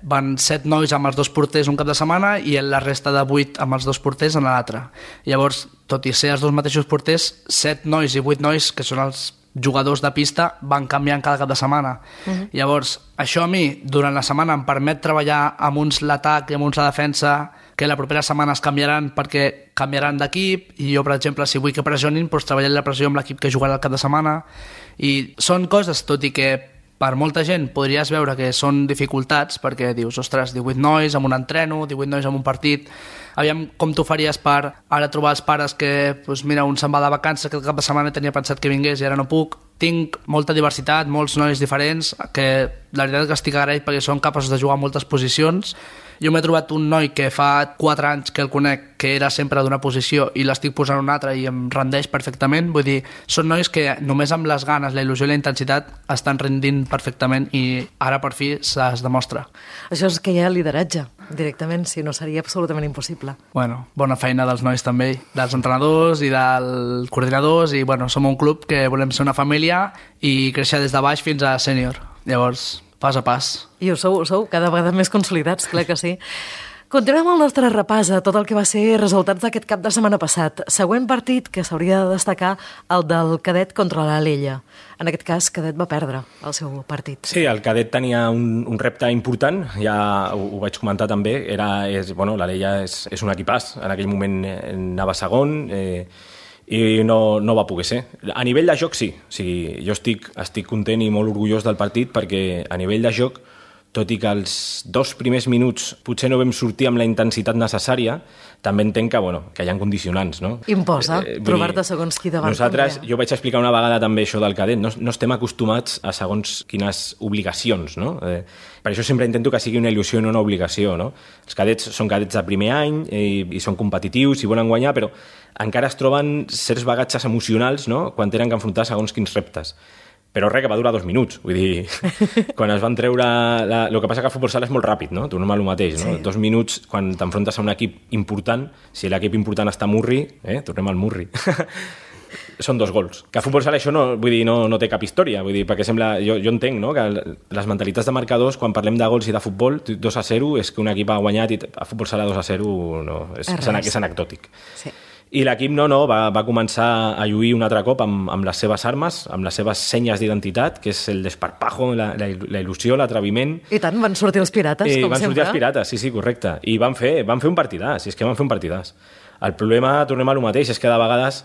[SPEAKER 8] van set nois amb els dos porters un cap de setmana i la resta de vuit amb els dos porters en l'altre. Llavors, tot i ser els dos mateixos porters, set nois i vuit nois, que són els jugadors de pista, van canviant cada cap de setmana. Uh-huh. Llavors, això a mi, durant la setmana, em permet treballar amb uns l'atac i amb uns la defensa, que la propera setmana es canviaran perquè canviaran d'equip, i jo, per exemple, si vull que pressionin, doncs treballaré la pressió amb l'equip que jugarà el cap de setmana. I són coses, tot i que per molta gent podries veure que són dificultats, perquè dius, ostres, divuit nois amb un entreno, divuit nois amb un partit, aviam com t'ho faries per ara trobar els pares que, doncs mira, un se'n va de vacances, que el cap de setmana tenia pensat que vingués i ara no puc. Tinc molta diversitat, molts nois diferents, que la veritat és que estic agraït perquè són capaços de jugar a moltes posicions, jo m'he trobat un noi que fa quatre anys que el conec, que era sempre d'una posició i l'estic posant una altra i em rendeix perfectament. Vull dir, són nois que només amb les ganes, la il·lusió i la intensitat estan rendint perfectament i ara per fi es demostra.
[SPEAKER 2] Això és que hi ha lideratge, directament, si no seria absolutament impossible.
[SPEAKER 8] Bueno, bona feina dels nois també, dels entrenadors i dels coordinadors i bueno, som un club que volem ser una família i créixer des de baix fins a sènior. Llavors, pas a pas.
[SPEAKER 2] I ho sou, ho sou cada vegada més consolidats, clar que sí. Continuem el nostre repàs a tot el que va ser resultats d'aquest cap de setmana passat. Següent partit que s'hauria de destacar, el del Cadet contra l'Alella. En aquest cas, Cadet va perdre el seu partit.
[SPEAKER 7] Sí, el Cadet tenia un, un repte important, ja ho, ho vaig comentar també. Era, és, bueno, l'Alella és, és un equipàs, en aquell moment anava segon, eh, i no, no va poder ser. A nivell de joc sí, o sigui, jo estic, estic content i molt orgullós del partit perquè a nivell de joc, tot i que els dos primers minuts potser no vam sortir amb la intensitat necessària, també entenc que, bueno, que hi ha condicionants, no?
[SPEAKER 2] Imposa, eh, trobar-te segons qui davant.
[SPEAKER 7] Nosaltres, també. Jo vaig explicar una vegada també això del Cadet, no, no estem acostumats a segons quines obligacions, no? Eh, per això sempre intento que sigui una il·lusió i no una obligació, no? Els cadets són cadets de primer any i, i són competitius i volen guanyar, però encara es troben certs bagatges emocionals, no?, quan tenen que enfrontar segons quins reptes. Però res, que va durar dos minuts. Vull dir, quan es van treure... La... El que passa que el futbol sala és molt ràpid, no? Tornem a el mateix, no? Sí. Dos minuts, quan t'enfrontes a un equip important, si l'equip important està a Murri, eh? Tornem al Murri. Són dos gols. Que a futbol sala això no, vull dir, no, no té cap història, vull dir, perquè sembla... Jo, jo entenc, no?, que les mentalitats de marcadors, quan parlem de gols i de futbol, dos a zero, és que un equip ha guanyat i a futbol sala dos a zero no, és, és, és anecdòtic. Sí. I l'equip no, no, va, va començar a lluir un altre cop amb, amb les seves armes, amb les seves senyes d'identitat, que és el desparpajo, la, la, la il·lusió, l'atreviment.
[SPEAKER 2] I tant, van sortir els pirates,
[SPEAKER 7] I
[SPEAKER 2] com
[SPEAKER 7] van
[SPEAKER 2] sempre. Van
[SPEAKER 7] sortir els pirates, sí, sí, correcte. I van fer, van fer un partidàs, és que van fer un partidàs. El problema, tornem a lo mateix, és que de vegades,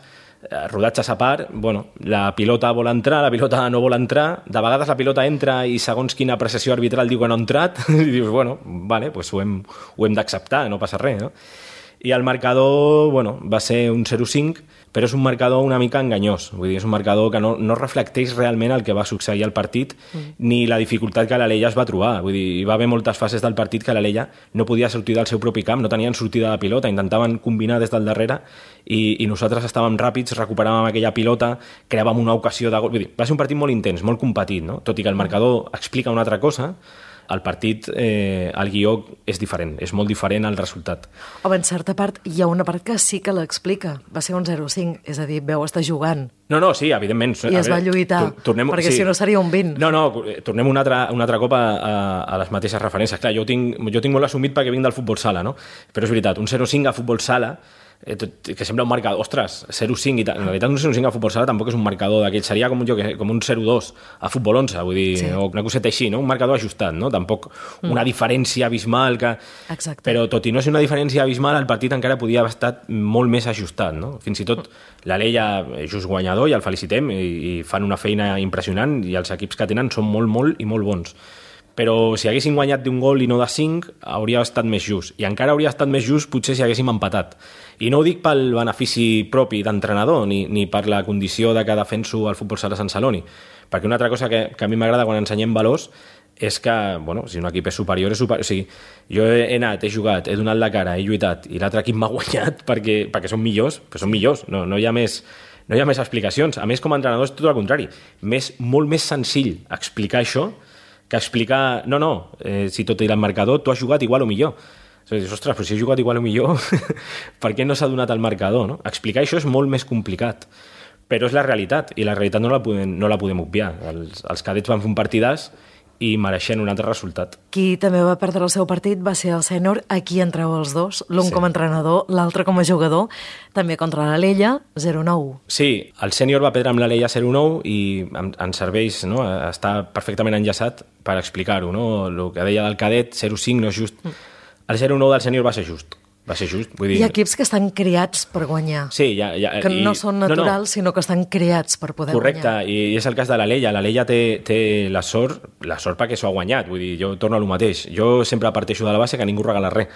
[SPEAKER 7] rodatges a part, bueno, la pilota vol entrar, la pilota no vol entrar, de vegades la pilota entra i segons quina apreciació arbitral diu que no ha entrat, i dius, bueno, vale, pues ho hem, ho hem d'acceptar, no passa res, no? I el marcador, bueno, va ser un zero cinc, però és un marcador una mica enganyós. Vull dir, és un marcador que no, no reflecteix realment el que va succeir al partit mm. ni la dificultat que l'Alella es va trobar. Vull dir, hi va haver moltes fases del partit que l'Alella no podia sortir del seu propi camp, no tenien sortida de pilota, intentaven combinar des del darrere i, i nosaltres estàvem ràpids, recuperàvem aquella pilota, creàvem una ocasió de gol. Vull dir, va ser un partit molt intens, molt competit, no? Tot i que el marcador explica una altra cosa, el partit, eh, el guió és diferent, és molt diferent al resultat.
[SPEAKER 2] Home, en certa part, hi ha una part que sí que l'explica. Va ser un zero cinc, és a dir, veu estar jugant.
[SPEAKER 7] No, no, sí, evidentment.
[SPEAKER 2] I es va lluitar, tornem, perquè sí. Si no seria un vint.
[SPEAKER 7] No, no, tornem un altre, un altre cop a, a, a les mateixes referències. Clar, jo tinc, jo tinc molt assumit perquè vinc del futbol sala, no? Però és veritat, un zero cinc a futbol sala, eh, tot, que sembla un marcador, ostres, zero cinc i tal. En realitat un zero cinc a futbol sala tampoc és un marcador d'aquell, seria com, jo, com un zero dos a futbol onze, vull dir, sí. O una coseta així, no? Un marcador ajustat, no? Tampoc mm. una diferència abismal que...
[SPEAKER 2] Exacte.
[SPEAKER 7] Però tot i no ser una diferència abismal, el partit encara podia haver estat molt més ajustat, no? Fins i tot l'Alella és just guanyador i el felicitem i, i fan una feina impressionant i els equips que tenen són molt, molt i molt bons. Però si haguessin guanyat d'un gol i no de cinc, hauria estat més just. I encara hauria estat més just potser si haguéssim empatat. I no ho dic pel benefici propi d'entrenador, ni, ni per la condició de que defenso el futbol sala Sant Celoni. Perquè una altra cosa que, que a mi m'agrada quan ensenyem valors és que, bueno, si un equip és superior, és superior. O sigui, jo he anat, he jugat, he donat la cara, he lluitat, i l'altre equip m'ha guanyat perquè, perquè són millors, però són millors. No, no hi ha més... No hi ha més explicacions. A més, com a entrenador és tot el contrari. Més, molt més senzill explicar això que explicar, no, no, eh, si tot era el marcador, tu has jugat igual o millor. Dius, ostres, però si he jugat igual o millor, per què no s'ha donat el marcador? No? Explicar això és molt més complicat, però és la realitat, i la realitat no la podem, no la podem obviar. Els, els cadets van fer un partidàs i mereixen un altre resultat.
[SPEAKER 2] Qui també va perdre el seu partit va ser el sènior, aquí entreu els dos, l'un sí. com a entrenador, l'altre com a jugador, també contra l'Alella, zero nou.
[SPEAKER 7] Sí, el sènior va perdre amb l'Alella zero nou i ens serveix, no? Està perfectament enllaçat per explicar-ho, no? El que deia del cadet, zero cinc no és just. El zero nou del sènior va ser just. Va ser just, vull dir...
[SPEAKER 2] Hi ha equips que estan creats per guanyar.
[SPEAKER 7] Sí, ja, ja,
[SPEAKER 2] que no
[SPEAKER 7] i...
[SPEAKER 2] són naturals, no, no. sinó que estan creats per poder
[SPEAKER 7] Correcte,
[SPEAKER 2] guanyar.
[SPEAKER 7] Correcte, i és el cas de l'Alella. L'Alella té, té la sort, la sort perquè s'ho ha guanyat. Vull dir, jo torno a lo mateix. Jo sempre parteixo de la base que ningú regala res.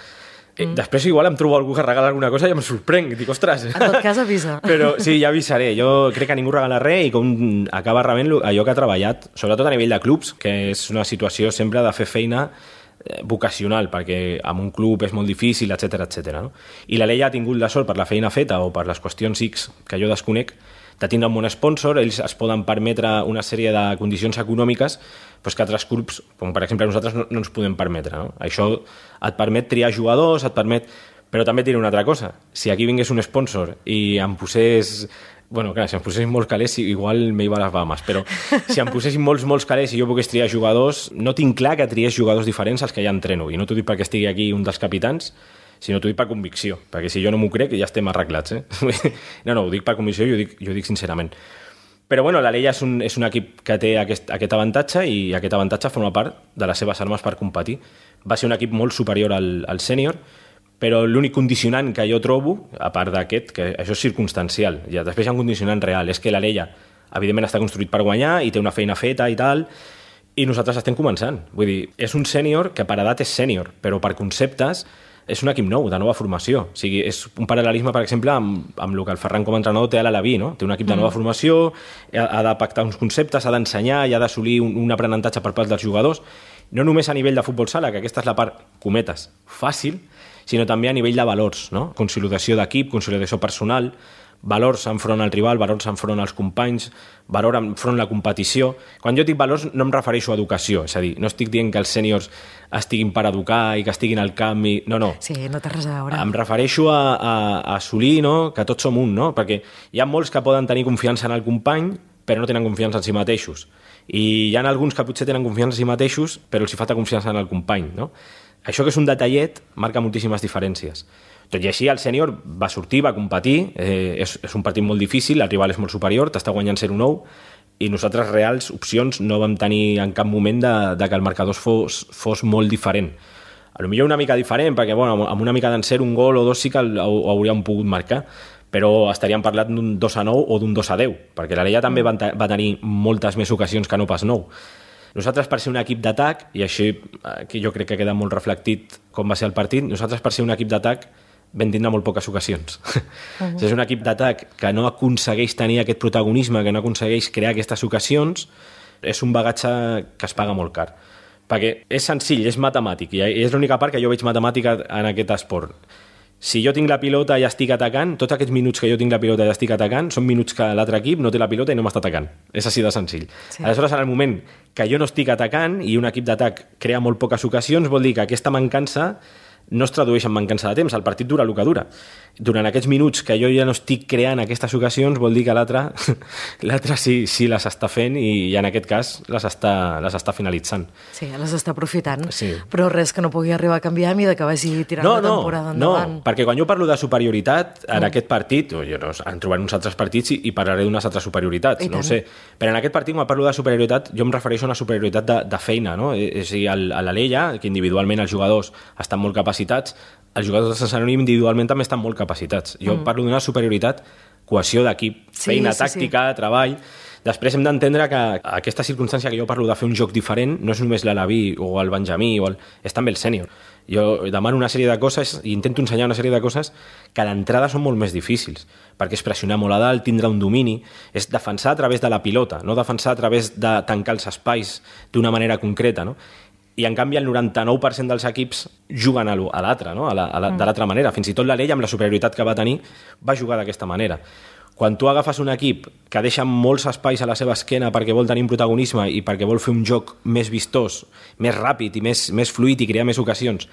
[SPEAKER 7] Mm. Després igual em trobo algú que regala alguna cosa i em sorprenc. Dic, ostres...
[SPEAKER 2] En tot cas, avisa.
[SPEAKER 7] Però sí, ja avisaré. Jo crec que ningú regala res i com acaba rebent allò que ha treballat, sobretot a nivell de clubs, que és una situació sempre de fer feina vocacional, perquè amb un club és molt difícil, etcètera, etcètera. No? I la Leia ha tingut la sort per la feina feta o per les qüestions X que jo desconec, de tindre un bon sponsor, ells es poden permetre una sèrie de condicions econòmiques doncs que altres clubs, com per exemple nosaltres, no, no ens podem permetre. No? Això et permet triar jugadors, et permet... Però també et diré una altra cosa. Si aquí vingués un sponsor i em posés... Bueno, clar, si em posessin molts calés, igual me iba a les Bahamas, però si em posessin molts, molts calés i jo pogués triar jugadors, no tinc clar que triés jugadors diferents als que ja entreno. I no t'ho dic perquè estigui aquí un dels capitans, sinó t'ho dic per convicció, perquè si jo no m'ho crec ja estem arreglats. Eh? No, no, ho dic per convicció i ho dic, jo ho dic sincerament. Però bueno, la Leia és un, és un equip que té aquest, aquest avantatge i aquest avantatge forma part de les seves armes per competir. Va ser un equip molt superior al, al sènior, però l'únic condicionant que jo trobo, a part d'aquest, que això és circumstancial, ja després hi ha un condicionant real, és que la Leia evidentment està construït per guanyar i té una feina feta i tal, i nosaltres estem començant. Vull dir, és un sènior que per edat és sènior, però per conceptes és un equip nou, de nova formació. O sigui, és un paral·lelisme, per exemple, amb, amb el que el Ferran com a entrenador té a l'Alaví, no? Té un equip de nova formació, ha, ha de pactar uns conceptes, ha d'ensenyar i ha d'assolir un, un aprenentatge per part dels jugadors, no només a nivell de futbol sala, que aquesta és la part, cometes, fàcil, sinó també a nivell de valors, no? Consolidació d'equip, consolidació personal, valors enfront al rival, valors enfront als companys, valor enfront a la competició. Quan jo dic valors no em refereixo a educació, és a dir, no estic dient que els sèniors estiguin per educar i que estiguin al camp i... No, no.
[SPEAKER 2] Sí, no té res a veure.
[SPEAKER 7] Em refereixo a, a, a assolir, no?, que tots som un, no? Perquè hi ha molts que poden tenir confiança en el company però no tenen confiança en si mateixos. I hi ha alguns que potser tenen confiança en si mateixos però els hi falta confiança en el company, no? Això que és un detallet marca moltíssimes diferències. Tot i així, el sènior va sortir, va competir, eh, és, és un partit molt difícil, el rival és molt superior, t'està guanyant zero nou, i nosaltres reals opcions no vam tenir en cap moment de, de que el marcador fos, fos molt diferent. A lo millor una mica diferent, perquè bueno, amb una mica d'encert un gol o dos sí que el, ho, ho hauríem pogut marcar, però estaríem parlant d'un dos a nou o d'un dos a deu, perquè la Leia també va, va tenir moltes més ocasions que no pas nou. Nosaltres, per ser un equip d'atac, i així que jo crec que queda molt reflectit com va ser el partit, nosaltres, per ser un equip d'atac, vam tindre molt poques ocasions. Uh-huh. És un equip d'atac que no aconsegueix tenir aquest protagonisme, que no aconsegueix crear aquestes ocasions, és un bagatge que es paga molt car. Perquè és senzill, és matemàtic, i és l'única part que jo veig matemàtica en aquest esport. Si jo tinc la pilota i estic atacant, tots aquests minuts que jo tinc la pilota i estic atacant són minuts que l'altre equip no té la pilota i no m'està atacant. És així de senzill. Sí. Aleshores, en el moment que jo no estic atacant i un equip d'atac crea molt poques ocasions, vol dir que aquesta mancança no es tradueix en mancança de temps, el partit dura el que dura. Durant aquests minuts que jo ja no estic creant aquestes ocasions, vol dir que l'altre l'altre sí, sí les està fent i, i en aquest cas les està, les està finalitzant.
[SPEAKER 2] Sí, les està aprofitant,
[SPEAKER 7] sí.
[SPEAKER 2] Però res que no pugui arribar a canviar a mesura que vagi tirant
[SPEAKER 7] no,
[SPEAKER 2] la temporada
[SPEAKER 7] no,
[SPEAKER 2] endavant.
[SPEAKER 7] No, perquè quan jo parlo de superioritat en mm. aquest partit, o jo no, en trobaré uns altres partits i, i parlaré d'unes altres superioritats, I no tant. Ho sé, però en aquest partit quan parlo de superioritat jo em refereixo a una superioritat de, de feina, no? És a dir, a la Leia, que individualment els jugadors estan molt capacitats, els jugadors de Sant Celoni individualment també estan molt capacitats. Jo mm. parlo d'una superioritat, cohesió d'equip, sí, feina sí, tàctica, sí. treball. Després hem d'entendre que aquesta circumstància que jo parlo de fer un joc diferent no és només l'Alaví o el Benjamí, o el... és també el sènior. Jo demano una sèrie de coses i intento ensenyar una sèrie de coses que a l'entrada són molt més difícils, perquè és pressionar molt a dalt, tindre un domini, és defensar a través de la pilota, no defensar a través de tancar els espais d'una manera concreta, no? I en canvi el noranta-nou per cent dels equips juguen a l'altre, no? a la, a la, de l'altra manera. Fins i tot la Leia, amb la superioritat que va tenir, va jugar d'aquesta manera. Quan tu agafes un equip que deixa molts espais a la seva esquena perquè vol tenir un protagonisme i perquè vol fer un joc més vistós, més ràpid i més, més fluid i crear més ocasions,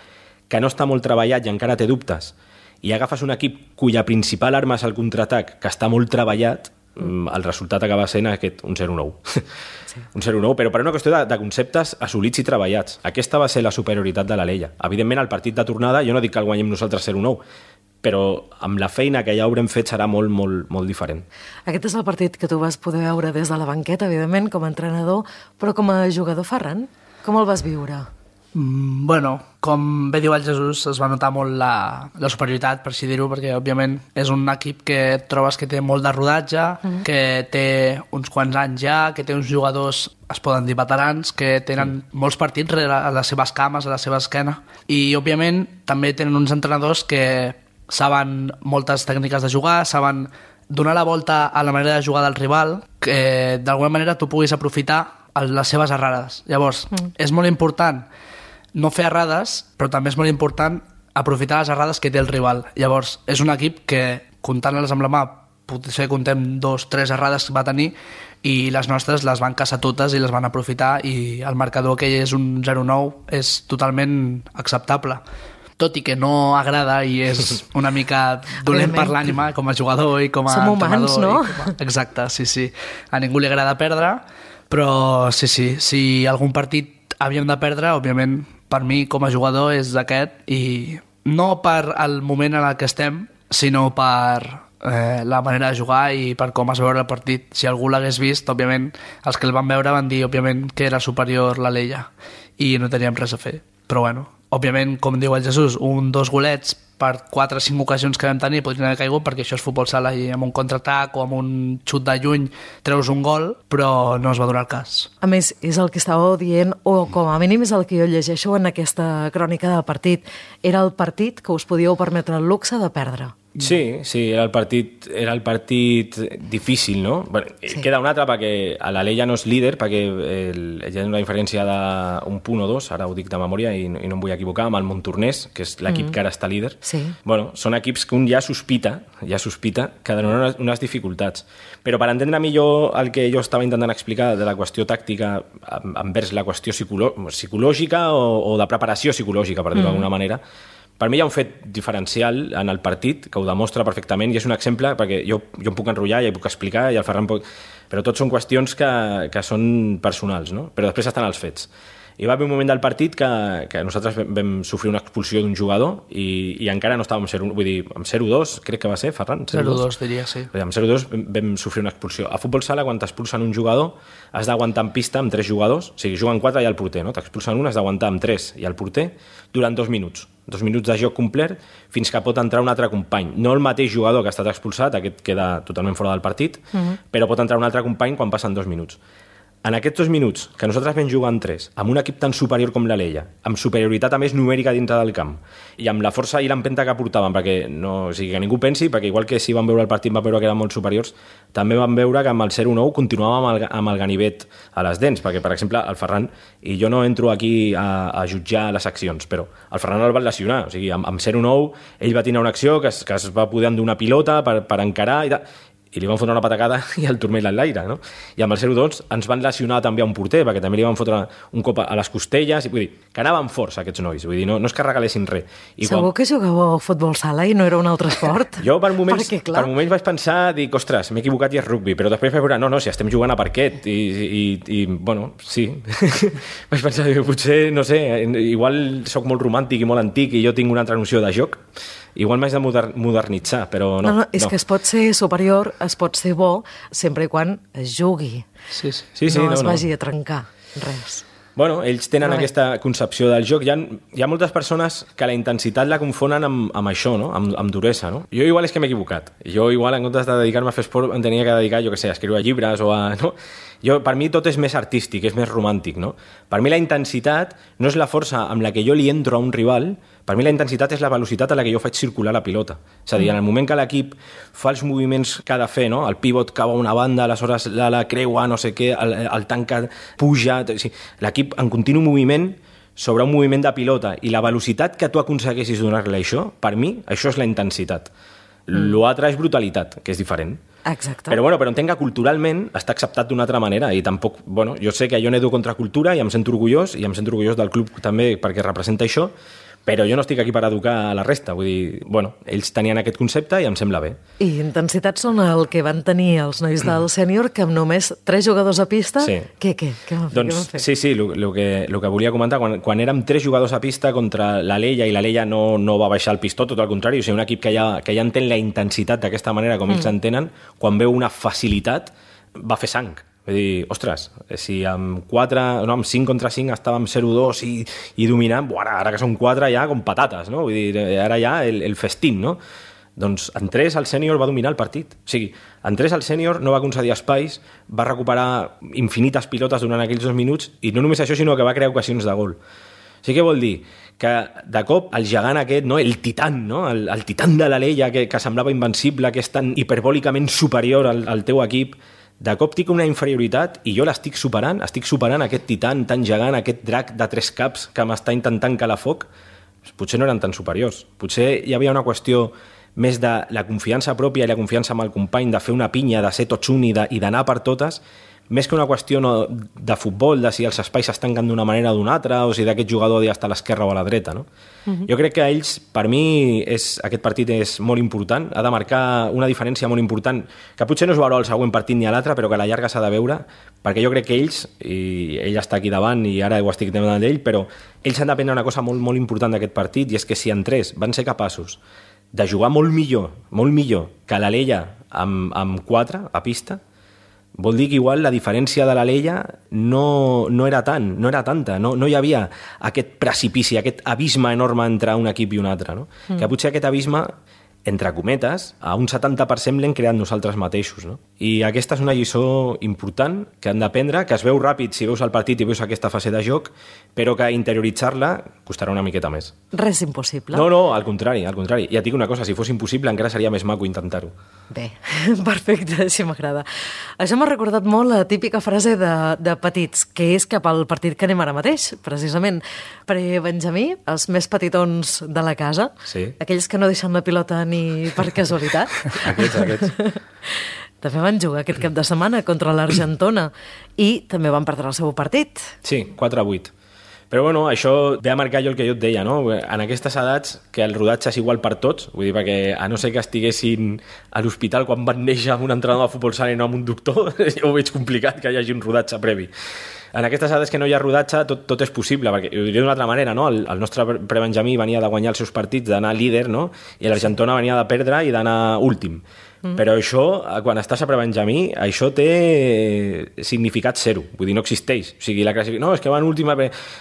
[SPEAKER 7] que no està molt treballat i encara té dubtes, i agafes un equip cuya principal arma és el contraatac, que està molt treballat, el resultat acaba sent aquest, un zero nou. Sí. Un zero nou, però per una qüestió de, de conceptes assolits i treballats. Aquesta va ser la superioritat de la Leia. Evidentment, el partit de tornada, jo no dic que el guanyem nosaltres zero nou, però amb la feina que ja haurem fet serà molt, molt, molt diferent.
[SPEAKER 2] Aquest és el partit que tu vas poder veure des de la banqueta, evidentment, com a entrenador, però com a jugador, Ferran, com el vas viure?
[SPEAKER 8] Mm, bueno, com bé diu el Jesús, es va notar molt la, la superioritat, per així dir-ho, perquè òbviament és un equip que trobes que té molt de rodatge, mm. que té uns quants anys ja, que té uns jugadors, es poden dir veterans, que tenen mm. molts partits a les seves cames, a la seva esquena, i òbviament també tenen uns entrenadors que saben moltes tècniques de jugar, saben donar la volta a la manera de jugar del rival, que d'alguna manera tu puguis aprofitar les seves errades. Llavors, mm. és molt important no fer errades, però també és molt important aprofitar les errades que té el rival. Llavors, és un equip que, comptant-les amb la mà, potser contem dos, tres errades que va tenir i les nostres les van caçar totes i les van aprofitar i el marcador que és un zero nou és totalment acceptable. Tot i que no agrada i és una mica dolent per l'ànima com a jugador i com a
[SPEAKER 2] Som humans, no?
[SPEAKER 8] A... Exacte, sí, sí. A ningú li agrada perdre, però sí, sí, si algun partit havíem de perdre, òbviament, per mi com a jugador és aquest i no per el moment en el que estem, sinó per eh, la manera de jugar i per com es veure el partit. Si algú l'hagués vist, òbviament, els que el van veure van dir, òbviament, que era superior la Leia i no teníem res a fer. Però bueno, òbviament, com diu el Jesús, un, dos golets per quatre o cinc ocasions que vam tenir podrien haver caigut perquè això és futbol sala i amb un contraatac o amb un xut de lluny treus un gol, però no es va donar el cas.
[SPEAKER 2] A més, és el que estàveu dient, o com a mínim és el que jo llegeixo en aquesta crònica del partit. Era el partit que us podíeu permetre el luxe de perdre.
[SPEAKER 7] Sí, sí, era el partit, era el partit difícil, no? Bueno, sí. Queda un altre perquè a la Leia no és líder, perquè el, hi ha una diferència d'un punt o dos, ara ho dic de memòria i, i no em vull equivocar, amb el Montornès, que és l'equip mm. que ara està líder.
[SPEAKER 2] Sí.
[SPEAKER 7] Bueno, són equips que un ja sospita, ja sospita que donen unes, unes dificultats. Però per entendre millor el que jo estava intentant explicar de la qüestió tàctica envers la qüestió psicolo psicològica o, o de preparació psicològica, per dir-ho mm. d'alguna manera, per mi hi ha un fet diferencial en el partit que ho demostra perfectament i és un exemple perquè jo, jo em puc enrotllar i puc explicar i el Ferran pot... però tot són qüestions que, que són personals, no? Però després estan els fets. Hi va haver un moment del partit que, que nosaltres vam sofrir una expulsió d'un jugador i, i encara no estàvem zero, vull dir, amb zero dos, crec que va ser, Ferran?
[SPEAKER 8] zero dos, diria, sí.
[SPEAKER 7] Amb zero dos vam sofrir una expulsió. A futbol sala, quan t'expulsen un jugador, has d'aguantar en pista amb tres jugadors, o sigui, juguen quatre i el porter, no? T'expulsen un, has d'aguantar amb tres i el porter durant dos minuts. Dos minuts de joc complet fins que pot entrar un altre company. No el mateix jugador que ha estat expulsat, aquest queda totalment fora del partit, uh-huh. però pot entrar un altre company quan passen dos minuts. En aquests dos minuts, que nosaltres vam jugar en tres, amb un equip tan superior com la Leia, amb superioritat a més numèrica dintre del camp, i amb la força i l'empenta que portaven, perquè no, o sigui, que ningú pensi, perquè igual que si van veure el partit van veure que eren molt superiors, també van veure que amb el zero nou continuàvem amb el, amb el ganivet a les dents, perquè, per exemple, el Ferran, i jo no entro aquí a, a jutjar les accions, però el Ferran el va lesionar, o sigui, amb, amb zero nou ell va tenir una acció que es, que es va poder endur una pilota per, per encarar i tal, i li van fotre una patacada i el turmell en l'aire, no? I amb el zero dos ens van lesionar també a un porter, perquè també li van fotre un cop a les costelles, i vull dir, que anaven forts aquests nois, vull dir, no, no es que regalessin res. I
[SPEAKER 2] Segur
[SPEAKER 7] quan...
[SPEAKER 2] que jugàveu a futbol sala i no era un altre esport?
[SPEAKER 7] Jo per moments,
[SPEAKER 2] perquè, clar...
[SPEAKER 7] per moments vaig pensar, dic, ostres, m'he equivocat i és rugby, però després vaig veure, no, no, si estem jugant a parquet, i, i, i bueno, sí. Vaig pensar, potser, no sé, igual sóc molt romàntic i molt antic i jo tinc una altra noció de joc, igual m'haig de moder modernitzar, però no.
[SPEAKER 2] No, no, és
[SPEAKER 7] no.
[SPEAKER 2] que es pot ser superior, es pot ser bo, sempre i quan es jugui.
[SPEAKER 8] Sí, sí.
[SPEAKER 7] Sí, sí,
[SPEAKER 2] no,
[SPEAKER 7] no
[SPEAKER 2] es
[SPEAKER 7] no.
[SPEAKER 2] vagi a trencar, res.
[SPEAKER 7] Bueno, ells tenen
[SPEAKER 2] Vale.
[SPEAKER 7] aquesta concepció del joc. Hi ha, hi ha moltes persones que la intensitat la confonen amb, amb això, no? amb, amb duresa. No? Jo igual és que m'he equivocat. Jo igual, en comptes de dedicar-me a fer esport, em tenia que dedicar, jo què sé, a escriure llibres o a... No? Jo, per mi tot és més artístic, és més romàntic. No? Per mi la intensitat no és la força amb la que jo li entro a un rival, per mi la intensitat és la velocitat a la que jo faig circular la pilota. És a dir, en el moment que l'equip fa els moviments que ha de fer, no? El pivot cau a una banda, aleshores la, la creua, no sé què, el, el tanca puja... O sigui, l'equip en continu moviment sobre un moviment de pilota i la velocitat que tu aconsegueixis donar-li això, per mi, això és la intensitat. Mm. L'altre és brutalitat, que és diferent.
[SPEAKER 2] Exacte.
[SPEAKER 7] Però, bueno, però entenc que culturalment està acceptat d'una altra manera i tampoc, bueno, jo sé que jo nedo contra cultura i em sento orgullós i em sento orgullós del club també perquè representa això, però jo no estic aquí per educar a la resta, vull dir, bueno, ells tenien aquest concepte i em sembla bé.
[SPEAKER 2] I intensitats són el que van tenir els nois del sènior, que amb només tres jugadors a pista,
[SPEAKER 7] sí.
[SPEAKER 2] què, què? Què van fer?
[SPEAKER 7] Doncs,
[SPEAKER 2] què van fer?
[SPEAKER 7] sí, sí, el que, lo que volia comentar, quan, quan érem tres jugadors a pista contra la Leia, i la Leia no, no va baixar el pistó, tot al contrari, o sigui, un equip que ja, que ja entén la intensitat d'aquesta manera com mm. ells entenen, quan veu una facilitat, va fer sang. Vull dir, ostres, si amb quatre, no, amb cinc contra cinc estàvem zero dos i, i dominant, ara, ara que són quatre ja com patates, no? Vull dir, ara ja el, el festín, no? Doncs en tres el sènior va dominar el partit. O sigui, en tres el sènior no va concedir espais, va recuperar infinites pilotes durant aquells dos minuts i no només això, sinó que va crear ocasions de gol. O sigui, què vol dir? Que de cop el gegant aquest, no? El titan, no? el, el titan de la Leia que, que semblava invencible, que és tan hiperbòlicament superior al, al teu equip, de cop tinc una inferioritat i jo l'estic superant, estic superant aquest titan tan gegant, aquest drac de tres caps que m'està intentant calar foc, potser no eren tan superiors. Potser hi havia una qüestió més de la confiança pròpia i la confiança amb el company, de fer una pinya, de ser tots un i d'anar per totes, més que una qüestió no, de futbol, de si els espais es tanquen d'una manera o d'una altra, o si d'aquest jugador ha d'estar a l'esquerra o a la dreta. No? Uh-huh. Jo crec que ells, per mi, és, aquest partit és molt important, ha de marcar una diferència molt important, que potser no es veurà el següent partit ni a l'altre, però que a la llarga s'ha de veure, perquè jo crec que ells, i ell està aquí davant i ara ho estic demanant d'ell, però ells han d'aprendre una cosa molt, molt important d'aquest partit, i és que si en tres van ser capaços de jugar molt millor, molt millor que l'Alella amb, amb quatre a pista, vol dir que igual la diferència de l'Alella no, no era tant, no era tanta, no, no hi havia aquest precipici, aquest abisme enorme entre un equip i un altre, no? Mm. Que potser aquest abisme, entre cometes, a un setanta per cent l'hem creat nosaltres mateixos, no? I aquesta és una lliçó important que han d'aprendre, que es veu ràpid si veus el partit i veus aquesta fase de joc, però que interioritzar-la costarà una miqueta més.
[SPEAKER 2] Res impossible.
[SPEAKER 7] No, no, al contrari, al contrari. Ja et dic una cosa, si fos impossible encara seria més maco intentar-ho.
[SPEAKER 2] Bé, perfecte, així m'agrada. Això m'ha recordat molt la típica frase de, de petits, que és cap al partit que anem ara mateix, precisament. Perquè Benjamí, els més petitons de la casa,
[SPEAKER 7] sí. Aquells
[SPEAKER 2] que no deixen la pilota ni per casualitat.
[SPEAKER 7] aquests, aquests.
[SPEAKER 2] També van jugar aquest cap de setmana contra l'Argentona i també van perdre el seu partit.
[SPEAKER 7] Sí, quatre a vuit. Però bueno, això ve a marcar jo el que jo et deia, no? En aquestes edats, que el rodatge és igual per tots, vull dir, perquè a no ser que estiguessin a l'hospital quan van néixer amb un entrenador de futbol sala i no amb un doctor, jo ho veig complicat que hi hagi un rodatge previ. En aquestes edats que no hi ha rodatge, tot, tot és possible, perquè ho diré d'una altra manera, no? El, el nostre prebenjamí venia de guanyar els seus partits, d'anar líder, no? I l'Argentona venia de perdre i d'anar últim. Mm. Però això, quan estàs a prebenjamí, això té significat zero, vull dir, no existeix. O sigui, la classificació, no, és que van última,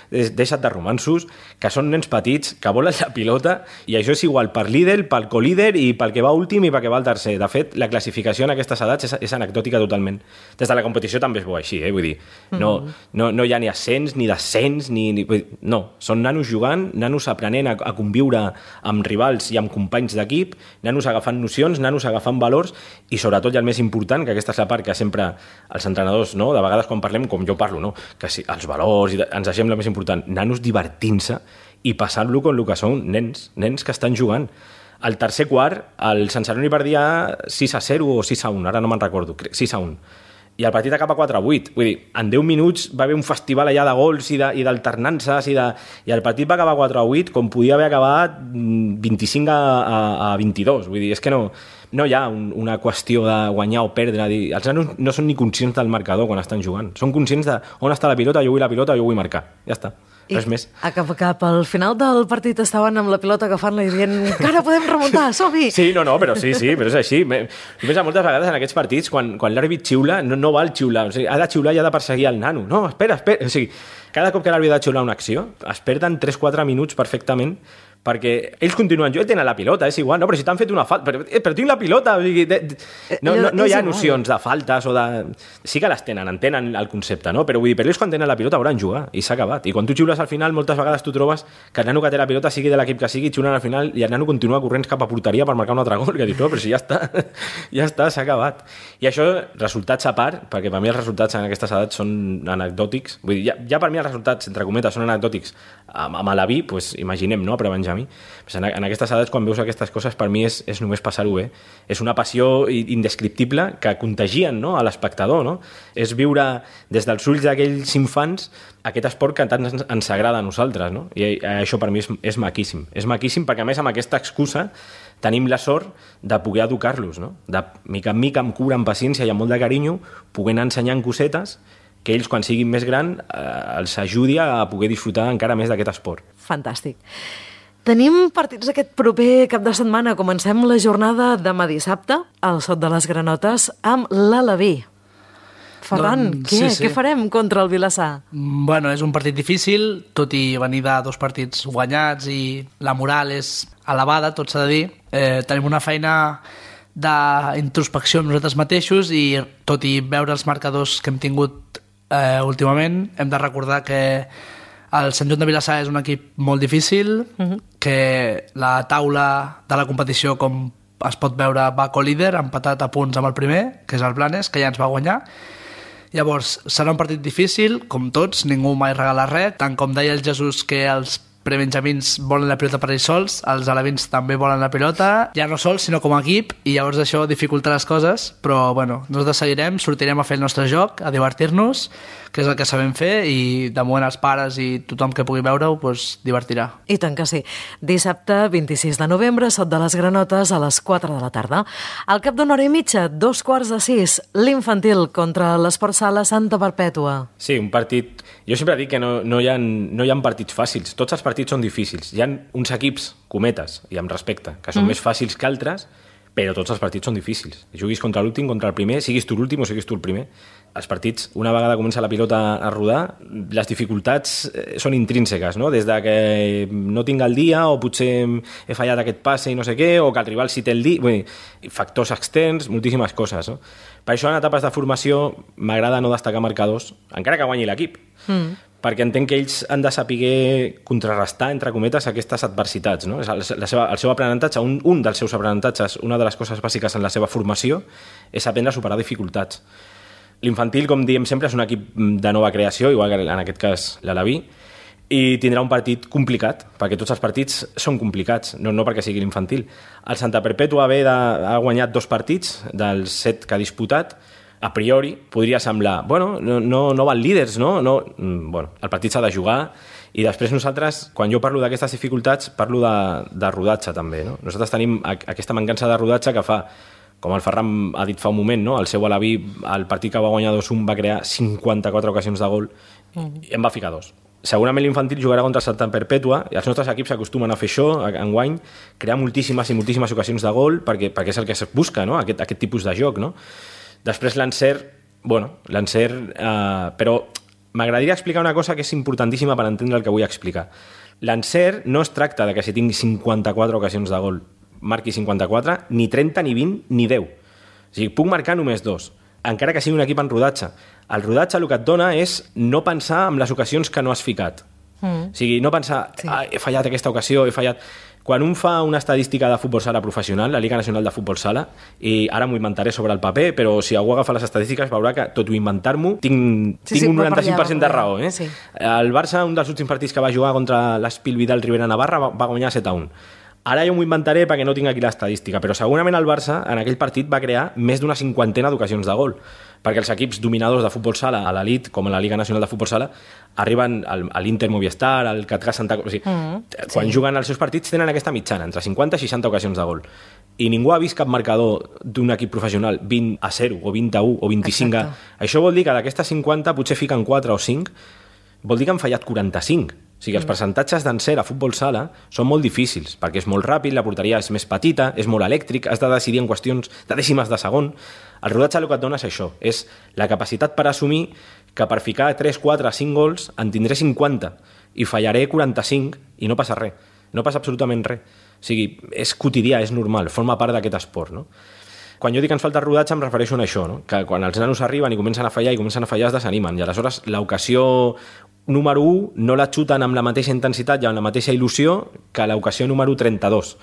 [SPEAKER 7] deixa't de romansos, que són nens petits, que volen la pilota, i això és igual per líder, pel colíder i pel que va últim i pel que va al tercer. De fet, la classificació en aquestes edats és, és anecdòtica totalment. Des de la competició també es veu així, eh? Vull dir, no, no, no hi ha ni ascens, ni descens, ni, ni... No, són nanos jugant, nanos aprenent a, a conviure amb rivals i amb companys d'equip, nanos agafant nocions, nanos agafant valors, i sobretot, i el més important, que aquesta és la part que sempre els entrenadors, no, de vegades quan parlem, com jo parlo, no, que si, els valors, i ens deixem el més important, nanos divertint-se i passant-lo com el que són nens, nens que estan jugant. Al tercer quart, el Sant Celoni perdia sis a zero o sis a un, ara no me'n recordo, sis a un. I el partit acaba quatre a vuit. Vull dir, en deu minuts va haver un festival allà de gols i d'alternances i, de, i el partit va acabar quatre a vuit com podia haver acabat vint-i-cinc a vint-i-dos. Vull dir, és que no, no hi ha un, una qüestió de guanyar o perdre. Dir, els nanos no són ni conscients del marcador quan estan jugant. Són conscients de on està la pilota, jo vull la pilota, jo vull marcar. Ja està. Res més.
[SPEAKER 2] I cap, cap al final del partit estaven amb la pilota agafant-la i dient encara podem remuntar, som-hi!
[SPEAKER 7] Sí, no, no, però sí, sí, però és així. Només moltes vegades en aquests partits, quan, quan l'àrbit xiula, no, no val xiular. O sigui, ha de xiular i ha de perseguir el nano. No, espera, espera. O sigui, cada cop que l'àrbit ha de xiular una acció, es perden tres quatre minuts perfectament perquè ells continuen, jo tenen la pilota, és igual, no, però si t'han fet una falta, però, però tinc la pilota, o sigui, de, de, no, no, no hi ha nocions de faltes o de... Sí que les tenen, entenen el concepte, no? Però vull dir, però ells quan tenen la pilota hauran jugar i s'ha acabat. I quan tu xiules al final, moltes vegades tu trobes que el nano que té la pilota, sigui de l'equip que sigui, xiulen al final i el nano continua corrents cap a porteria per marcar un altre gol, que dius, no, però si ja està, ja està, s'ha acabat. I això, resultats a part, perquè per mi els resultats en aquestes edats són anecdòtics, vull dir, ja, ja per mi els resultats, entre cometes, són anecdòtics amb, amb Alaví, doncs imaginem, no?, per Benjamí. Pues en, en aquestes edats, quan veus aquestes coses, per mi és, és només passar-ho bé. És una passió indescriptible que contagien, no?, a l'espectador, no? És viure des dels ulls d'aquells infants aquest esport que tant ens, ens agrada a nosaltres, no? I això per mi és, és maquíssim. És maquíssim perquè, a més, amb aquesta excusa tenim la sort de poder educar-los, no? De mica en mica, amb cura, amb paciència i amb molt de carinyo, poder anar ensenyant cosetes que ells, quan siguin més gran, eh, els ajudi a poder disfrutar encara més d'aquest esport.
[SPEAKER 2] Fantàstic. Tenim partits aquest proper cap de setmana. Comencem la jornada demà dissabte al Sot de les Granotes amb l'Alaví. Ferran, doncs, què? Sí, sí. Què farem contra el Vilassar?
[SPEAKER 8] Bueno, és un partit difícil, tot i venir de dos partits guanyats i la moral és elevada, tot s'ha de dir. Eh, tenim una feina d'introspecció amb nosaltres mateixos i tot i veure els marcadors que hem tingut eh, últimament, hem de recordar que el Sant Joan de Vilassar és un equip molt difícil, uh-huh. que la taula de la competició, com es pot veure va co-líder, empatat a punts amb el primer, que és el Blanes, que ja ens va guanyar. Llavors, serà un partit difícil, com tots, ningú mai regala res, tant com deia el Jesús que els prebenjamins volen la pilota per ells sols, els alevins també volen la pilota, ja no sols, sinó com a equip, i llavors això dificulta les coses, però bueno, nosaltres seguirem, sortirem a fer el nostre joc, a divertir-nos, que és el que sabem fer, i de moment els pares i tothom que pugui veure-ho pues, divertirà.
[SPEAKER 2] I tant que sí. Dissabte, vint-i-sis de novembre, Sot de les Granotes, a les quatre de la tarda. Al cap d'una hora i mitja, dos quarts de sis, l'infantil contra l'Esport Sala Santa Perpètua.
[SPEAKER 7] Sí, un partit... Jo sempre dic que no, no, hi ha, no hi ha partits fàcils. Tots els partits són difícils. Hi ha uns equips, cometes, i amb respecte, que són mm. més fàcils que altres, però tots els partits són difícils. Juguis contra l'últim, contra el primer, siguis tu l'últim o siguis tu el primer. Els partits, una vegada comença la pilota a rodar, les dificultats són intrínseques, no? Des de que no tinc el dia, o potser he fallat aquest passe i no sé què, o que el rival sí té el dia... Vull dir, factors externs, moltíssimes coses, no? Per això en etapes de formació m'agrada no destacar marcadors, encara que guanyi l'equip. Mm. Perquè entenc que ells han de saber contrarrestar, entre cometes, aquestes adversitats. No? La seva, el seu aprenentatge, un, un dels seus aprenentatges, una de les coses bàsiques en la seva formació, és aprendre a superar dificultats. L'infantil, com diem sempre, és un equip de nova creació, igual que en aquest cas l'Alaví, i tindrà un partit complicat, perquè tots els partits són complicats, no, no perquè sigui l'infantil. El Santa Perpètua ve de, ha guanyat dos partits dels set que ha disputat. A priori podria semblar, bueno, no, no, no van líders, no? no bueno, el partit s'ha de jugar, i després nosaltres, quan jo parlo d'aquestes dificultats, parlo de, de rodatge també, no? Nosaltres tenim aquesta mancança de rodatge que fa, com el Ferran ha dit fa un moment, no? El seu Alaví, el partit que va guanyar dos un va crear cinquanta-quatre ocasions de gol i en va ficar dos. Segurament l'infantil jugarà contra Santa Perpètua, i els nostres equips s'acostumen a fer això, enguany, crear moltíssimes i moltíssimes ocasions de gol, perquè, perquè és el que es busca, no? Aquest, aquest tipus de joc, no? Després l'encert, bueno, l'encert... Eh, però m'agradaria explicar una cosa que és importantíssima per entendre el que vull explicar. L'encert no es tracta de que si tingui cinquanta-quatre ocasions de gol marqui cinquanta-quatre, ni trenta, ni vint, ni deu. O sigui, puc marcar només dos, encara que sigui un equip en rodatge. El rodatge el que et dona és no pensar en les ocasions que no has ficat. Mm. O sigui, no pensar, sí. ah, he fallat aquesta ocasió, he fallat... Quan un fa una estadística de futbol sala professional, la Lliga Nacional de Futbol Sala, i ara m'ho inventaré sobre el paper, però si algú agafa les estadístiques veurà que, tot i inventar-m'ho, tinc, sí, tinc sí, un noranta-cinc per cent de raó. Eh? Sí. El Barça, un dels últims partits que va jugar contra l'Espil Vidal Rivera Navarra, va, va guanyar set a un. Ara jo m'ho inventaré perquè no tinc aquí l'estadística, però segurament el Barça en aquell partit va crear més d'una cinquantena d'ocasions de gol, perquè els equips dominadors de futbol sala a l'elit, com a la Lliga Nacional de Futbol Sala, arriben al, a l'Inter Movistar, al Catcar Santa... O sigui, mm, quan sí. juguen els seus partits tenen aquesta mitjana, entre cinquanta i seixanta ocasions de gol. I ningú ha vist cap marcador d'un equip professional vint a zero, o vint a u, o vint-i-cinc a... Això vol dir que d'aquestes cinquanta potser fiquen quatre o cinc, vol dir que han fallat quaranta-cinc. O sigui, els percentatges d'encert a futbol sala són molt difícils, perquè és molt ràpid, la porteria és més petita, és molt elèctric, has de decidir en qüestions de dècimes de segon. El rodatge el que et dona és això, és la capacitat per assumir que per ficar tres, quatre, cinc gols en tindré cinquanta i fallaré quaranta-cinc i no passa res, no passa absolutament res. O sigui, és quotidià, és normal, forma part d'aquest esport, no? Quan jo dic que ens falta rodatge em refereixo a això, no? Que quan els nanos arriben i comencen a fallar i comencen a fallar es desanimen, i aleshores l'ocasió número u no la xuten amb la mateixa intensitat i amb la mateixa il·lusió que l'ocasió número trenta-dos,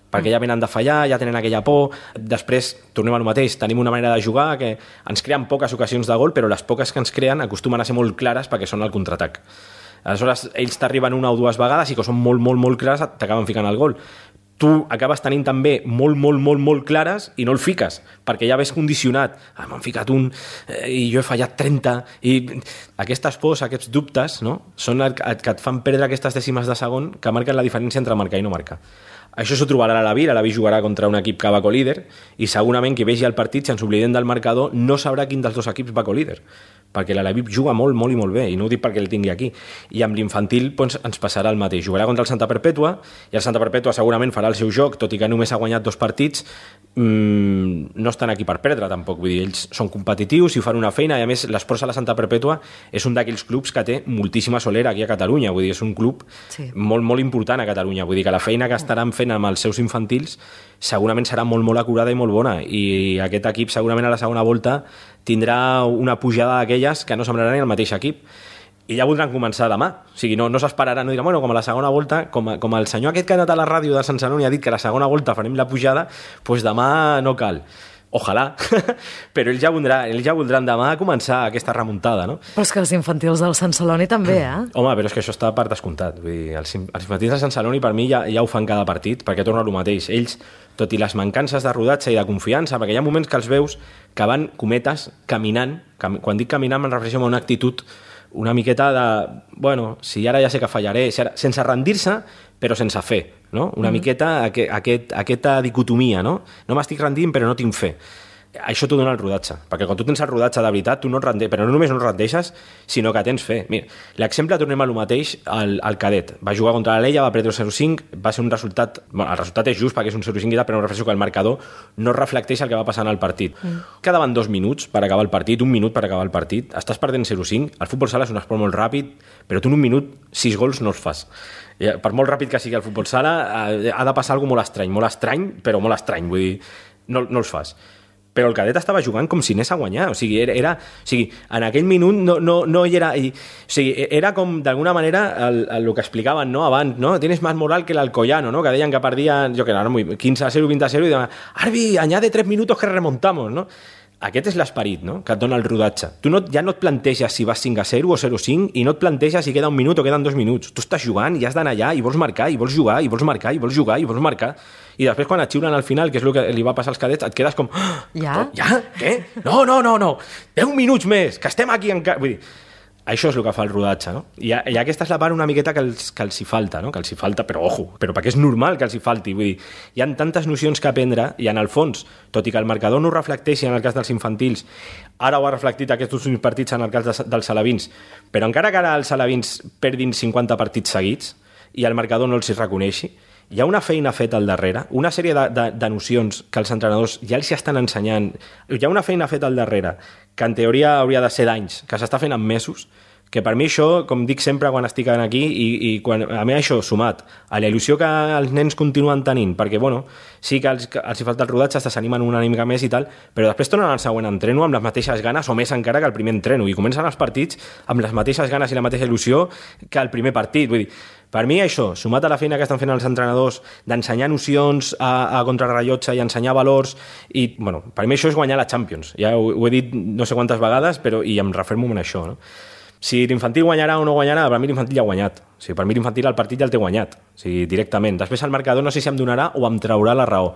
[SPEAKER 7] perquè ja venen de fallar, ja tenen aquella por. Després, tornem al mateix, tenim una manera de jugar que ens creen poques ocasions de gol, però les poques que ens creen acostumen a ser molt clares perquè són el contraatac. Aleshores, ells t'arriben una o dues vegades i que són molt, molt, molt clares, t'acaben ficant el gol. Tu acabes tenint també molt, molt, molt, molt clares i no el fiques, perquè ja ves condicionat. Ah, m'han ficat un eh, i jo he fallat trenta. I aquestes pors, aquests dubtes, no? Són el que et fan perdre aquestes dècimes de segon que marquen la diferència entre marcar i no marcar. Això s'ho trobarà a l'Alaví, l'Alaví jugarà contra un equip que va co-líder i segurament qui vegi el partit, si ens oblidem del marcador, no sabrà quin dels dos equips va co-líder, perquè l'Alaví juga molt, molt i molt bé, i no ho dic perquè el tingui aquí. I amb l'infantil doncs, ens passarà el mateix. Jugarà contra el Santa Perpètua, i el Santa Perpètua segurament farà el seu joc, tot i que només ha guanyat dos partits, mmm, no estan aquí per perdre tampoc, vull dir, ells són competitius i fan una feina, i a més l'Esport Sala Santa Perpètua és un d'aquells clubs que té moltíssima solera aquí a Catalunya, vull dir, és un club sí. molt, molt important a Catalunya, vull dir que la feina que estaran fent amb els seus infantils segurament serà molt, molt acurada i molt bona, i aquest equip segurament a la segona volta tindrà una pujada d'aquelles que no semblarà ni el mateix equip. i ja voldran començar demà. O sigui, no, no s'esperaran, no diran, bueno, com a la segona volta, com, a, com el senyor aquest que ha anat a la ràdio de Sant Celoni ha dit que a la segona volta farem la pujada, doncs demà no cal. Ojalà, però ells ja, voldrà, ells ja voldran demà començar aquesta remuntada, no?
[SPEAKER 2] Però és que els infantils del Sant Celoni també, eh?
[SPEAKER 7] Home, però és que això està per descomptat. Vull dir, els, els infantils del Sant Celoni per mi ja, ja ho fan cada partit, perquè torna el mateix. Ells, tot i les mancances de rodatge i de confiança, perquè hi ha moments que els veus que van, cometes, caminant, cam, quan dic caminant me'n refereixo a una actitud una miqueta de, bueno, si ara ja sé que fallaré, si ara, sense rendir-se, però sense fer, no? Una mm. miqueta aquest, aquest, aquesta dicotomia, no? No m'estic rendint, però no tinc fe. Això t'ho dona el rodatge, perquè quan tu tens el rodatge de veritat, tu no et rendeixes, però no només no et rendeixes, sinó que tens fe. Mira, l'exemple, tornem a lo mateix, al, al cadet. Va jugar contra l'Alella, va perdre zero cinc, va ser un resultat... Bueno, el resultat és just perquè és un zero cinc, però no refereixo que el marcador no reflecteix el que va passar en el partit. Mm. Quedaven dos minuts per acabar el partit, un minut per acabar el partit, estàs perdent zero cinc, el futbol sala és un esport molt ràpid, però tu en un minut sis gols no els fas. Per molt ràpid que sigui el futbol sala, ha de passar alguna molt estrany, molt estrany, però molt estrany, vull dir, no, no els fas. Però el cadet estava jugant com si anés a guanyar, o sigui, era, era, o sigui en aquell minut no, no, no hi era... I, o sigui, era com, d'alguna manera, el, el, el que explicaven, no?, abans, no? Tienes más moral que el Alcoyano, no?, que deien que perdien, jo que no, quinze a zero, vint a zero, i deien, Arbi, añade tres minutos que remontamos, no? Aquest és l'esperit, no?, que et dona el rodatge. Tu no, ja no et planteges si vas cinc a zero o zero cinc i no et planteges si queda un minut o queden dos minuts. Tu estàs jugant i has d'anar allà i vols marcar, i vols jugar, i vols marcar, i vols jugar, i vols marcar. I després quan et xiulen al final, que és el que li va passar als cadets, et quedes com...
[SPEAKER 2] Ja?
[SPEAKER 7] Ja? Què? No, no, no, no. deu minuts més, que estem aquí encara... Vull dir, això és el que fa el rodatge, no? I, I aquesta és la part una miqueta que els, que els hi falta, no? Que els hi falta, però ojo, però perquè és normal que els hi falti. Vull dir, hi ha tantes nocions que aprendre i en el fons, tot i que el marcador no ho reflecteixi en el cas dels infantils, ara ho ha reflectit aquests últims partits en el cas de, dels alevins, però encara que ara els alevins perdin cinquanta partits seguits i el marcador no els hi reconeixi, hi ha una feina feta al darrere, una sèrie de, de, de nocions que els entrenadors ja els estan ensenyant, hi ha una feina feta al darrere que en teoria hauria de ser d'anys, que s'està fent en mesos, que per mi això, com dic sempre quan estic aquí, i, i quan, a mi això sumat a la il·lusió que els nens continuen tenint, perquè bueno, sí que els, que els hi falta el rodatge, es s'animen una mica més i tal, però després tornen al següent entreno amb les mateixes ganes o més encara que el primer entreno, i comencen els partits amb les mateixes ganes i la mateixa il·lusió que el primer partit. Vull dir, per mi això, sumat a la feina que estan fent els entrenadors d'ensenyar nocions a, a contrarrellotge i ensenyar valors, i bueno, per mi això és guanyar la Champions. Ja ho, ho he dit no sé quantes vegades, però i em refermo en això, no? Si l'infantil guanyarà o no guanyarà, per mi l'infantil ja ha guanyat. O sigui, per mi l'infantil el partit ja el té guanyat, o sigui, directament. Després el marcador no sé si em donarà o em traurà la raó,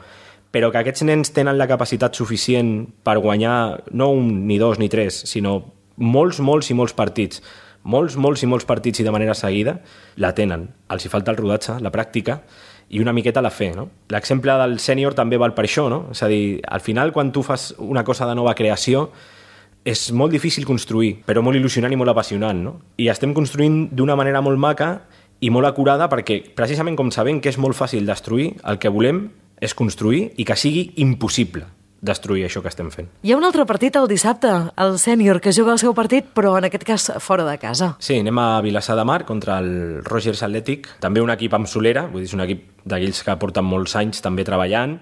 [SPEAKER 7] però que aquests nens tenen la capacitat suficient per guanyar no un, ni dos, ni tres, sinó molts, molts i molts partits, molts, molts i molts partits i de manera seguida, la tenen. Els hi falta el rodatge, la pràctica i una miqueta la fe, no? L'exemple del sènior també val per això, no? És a dir, al final, quan tu fas una cosa de nova creació, és molt difícil construir, però molt il·lusionant i molt apassionant, no? I estem construint d'una manera molt maca i molt acurada perquè, precisament com sabem que és molt fàcil destruir, el que volem és construir i que sigui impossible destruir això que estem fent.
[SPEAKER 2] Hi ha un altre partit el dissabte, el sènior, que juga el seu partit, però en aquest cas fora de casa.
[SPEAKER 7] Sí, anem a Vilassar de Mar contra el Rogers Athletic, també un equip amb solera, vull dir, és un equip d'aquells que porten molts anys també treballant.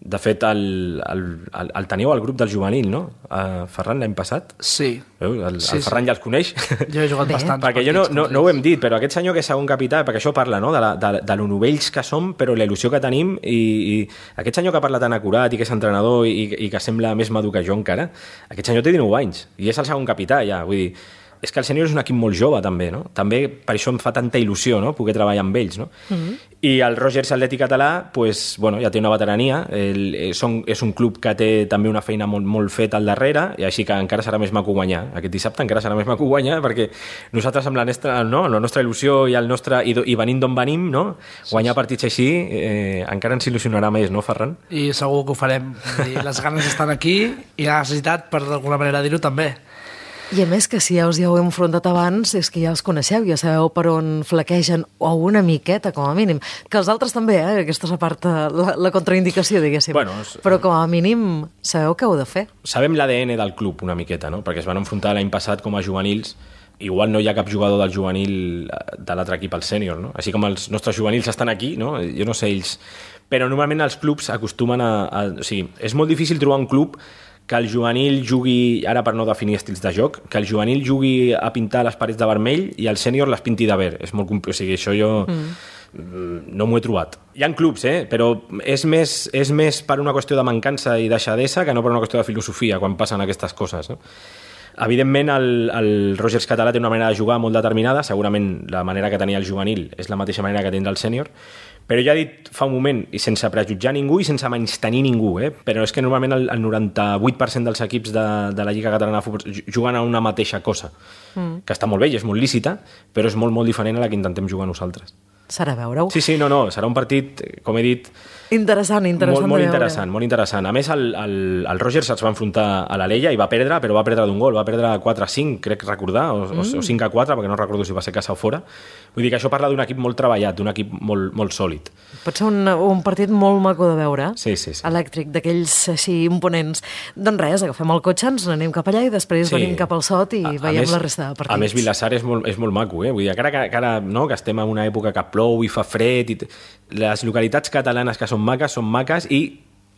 [SPEAKER 7] De fet, el, el, el, el teniu al grup del juvenil, no? Uh, Ferran, l'any passat?
[SPEAKER 8] Sí.
[SPEAKER 7] El, el
[SPEAKER 8] sí,
[SPEAKER 7] Ferran
[SPEAKER 8] sí.
[SPEAKER 7] ja els coneix.
[SPEAKER 8] Jo he jugat
[SPEAKER 2] Bé.
[SPEAKER 8] bastants
[SPEAKER 7] perquè jo no, no, no ho hem dit, però aquest senyor que és segon capità, perquè això parla, no?, de, la, de, de lo novells que som, però la il·lusió que tenim, i, i aquest senyor que parla tan acurat i que és entrenador i, i que sembla més madur que jo encara, aquest senyor té dinou anys i és el segon capità ja, vull dir, és que el sènior és un equip molt jove també, no? També per això em fa tanta il·lusió, no?, poder treballar amb ells, no? Mm-hmm. I el Rogers Atlètic Català, pues, bueno, ja té una veterania, el, són, és un club que té també una feina molt, molt feta al darrere, i així que encara serà més maco guanyar. Aquest dissabte encara serà més maco guanyar, perquè nosaltres amb la nostra, no, la nostra il·lusió i, el nostre, i, i venint d'on venim, no?, guanyar partits així eh, encara ens il·lusionarà més, no, Ferran?
[SPEAKER 8] I segur que ho farem. I les ganes estan aquí i la necessitat, per d'alguna manera dir-ho, també.
[SPEAKER 2] I a més que si ja us hi heu enfrontat abans, és que ja els coneixeu, ja sabeu per on flaquegen, o una miqueta, com a mínim. Que els altres també, eh? Aquesta és a part la, la contraindicació, diguéssim.
[SPEAKER 7] Bueno, és...
[SPEAKER 2] Però com a mínim sabeu què heu de fer.
[SPEAKER 7] Sabem l'A D N del club una miqueta, no? Perquè es van enfrontar l'any passat com a juvenils. Igual no hi ha cap jugador del juvenil de l'altre equip al sènior, no? Així com els nostres juvenils estan aquí, no? Jo no sé ells... Però normalment els clubs acostumen a... a... O sigui, és molt difícil trobar un club que el juvenil jugui, ara per no definir estils de joc, que el juvenil jugui a pintar les parets de vermell i el sènior les pinti de verd. És molt compl... O sigui, això jo mm. no m'ho he trobat. Hi ha clubs, eh? Però és més, és més per una qüestió de mancança i deixadesa que no per una qüestió de filosofia quan passen aquestes coses, no? Evidentment, el, el Rogers català té una manera de jugar molt determinada, segurament la manera que tenia el juvenil és la mateixa manera que tindrà el sènior, però ja he dit fa un moment, i sense prejutjar ningú i sense menystenir ningú, eh? Però és que normalment el, el noranta-vuit per cent dels equips de, de la Lliga Catalana de Futbol juguen a una mateixa cosa, mm. que està molt bé i és molt lícita, però és molt, molt diferent a la que intentem jugar nosaltres.
[SPEAKER 2] Serà veure-ho.
[SPEAKER 7] Sí, sí, no, no, serà un partit, com he dit...
[SPEAKER 2] Interessant, interessant
[SPEAKER 7] molt, molt
[SPEAKER 2] de veure.
[SPEAKER 7] interessant, molt interessant. A més, el, el, el Rogers es va enfrontar a l'Alella i va perdre, però va perdre d'un gol, va perdre quatre a cinc, crec recordar, o, mm. o cinc a quatre, perquè no recordo si va ser casa o fora. Vull dir que això parla d'un equip molt treballat, d'un equip molt, molt sòlid.
[SPEAKER 2] Pot ser un, un partit molt maco de veure,
[SPEAKER 7] sí, sí, sí.
[SPEAKER 2] elèctric, d'aquells així imponents. Doncs res, agafem el cotxe, ens n'anem cap allà i després sí. venim cap al Sot i a, veiem a més, la resta de partits.
[SPEAKER 7] A més, Vilassar és molt, és molt maco, eh? Vull dir, que ara, que, ara no, que estem en una època que plou i fa fred, i les localitats catalanes que són maques, són maques i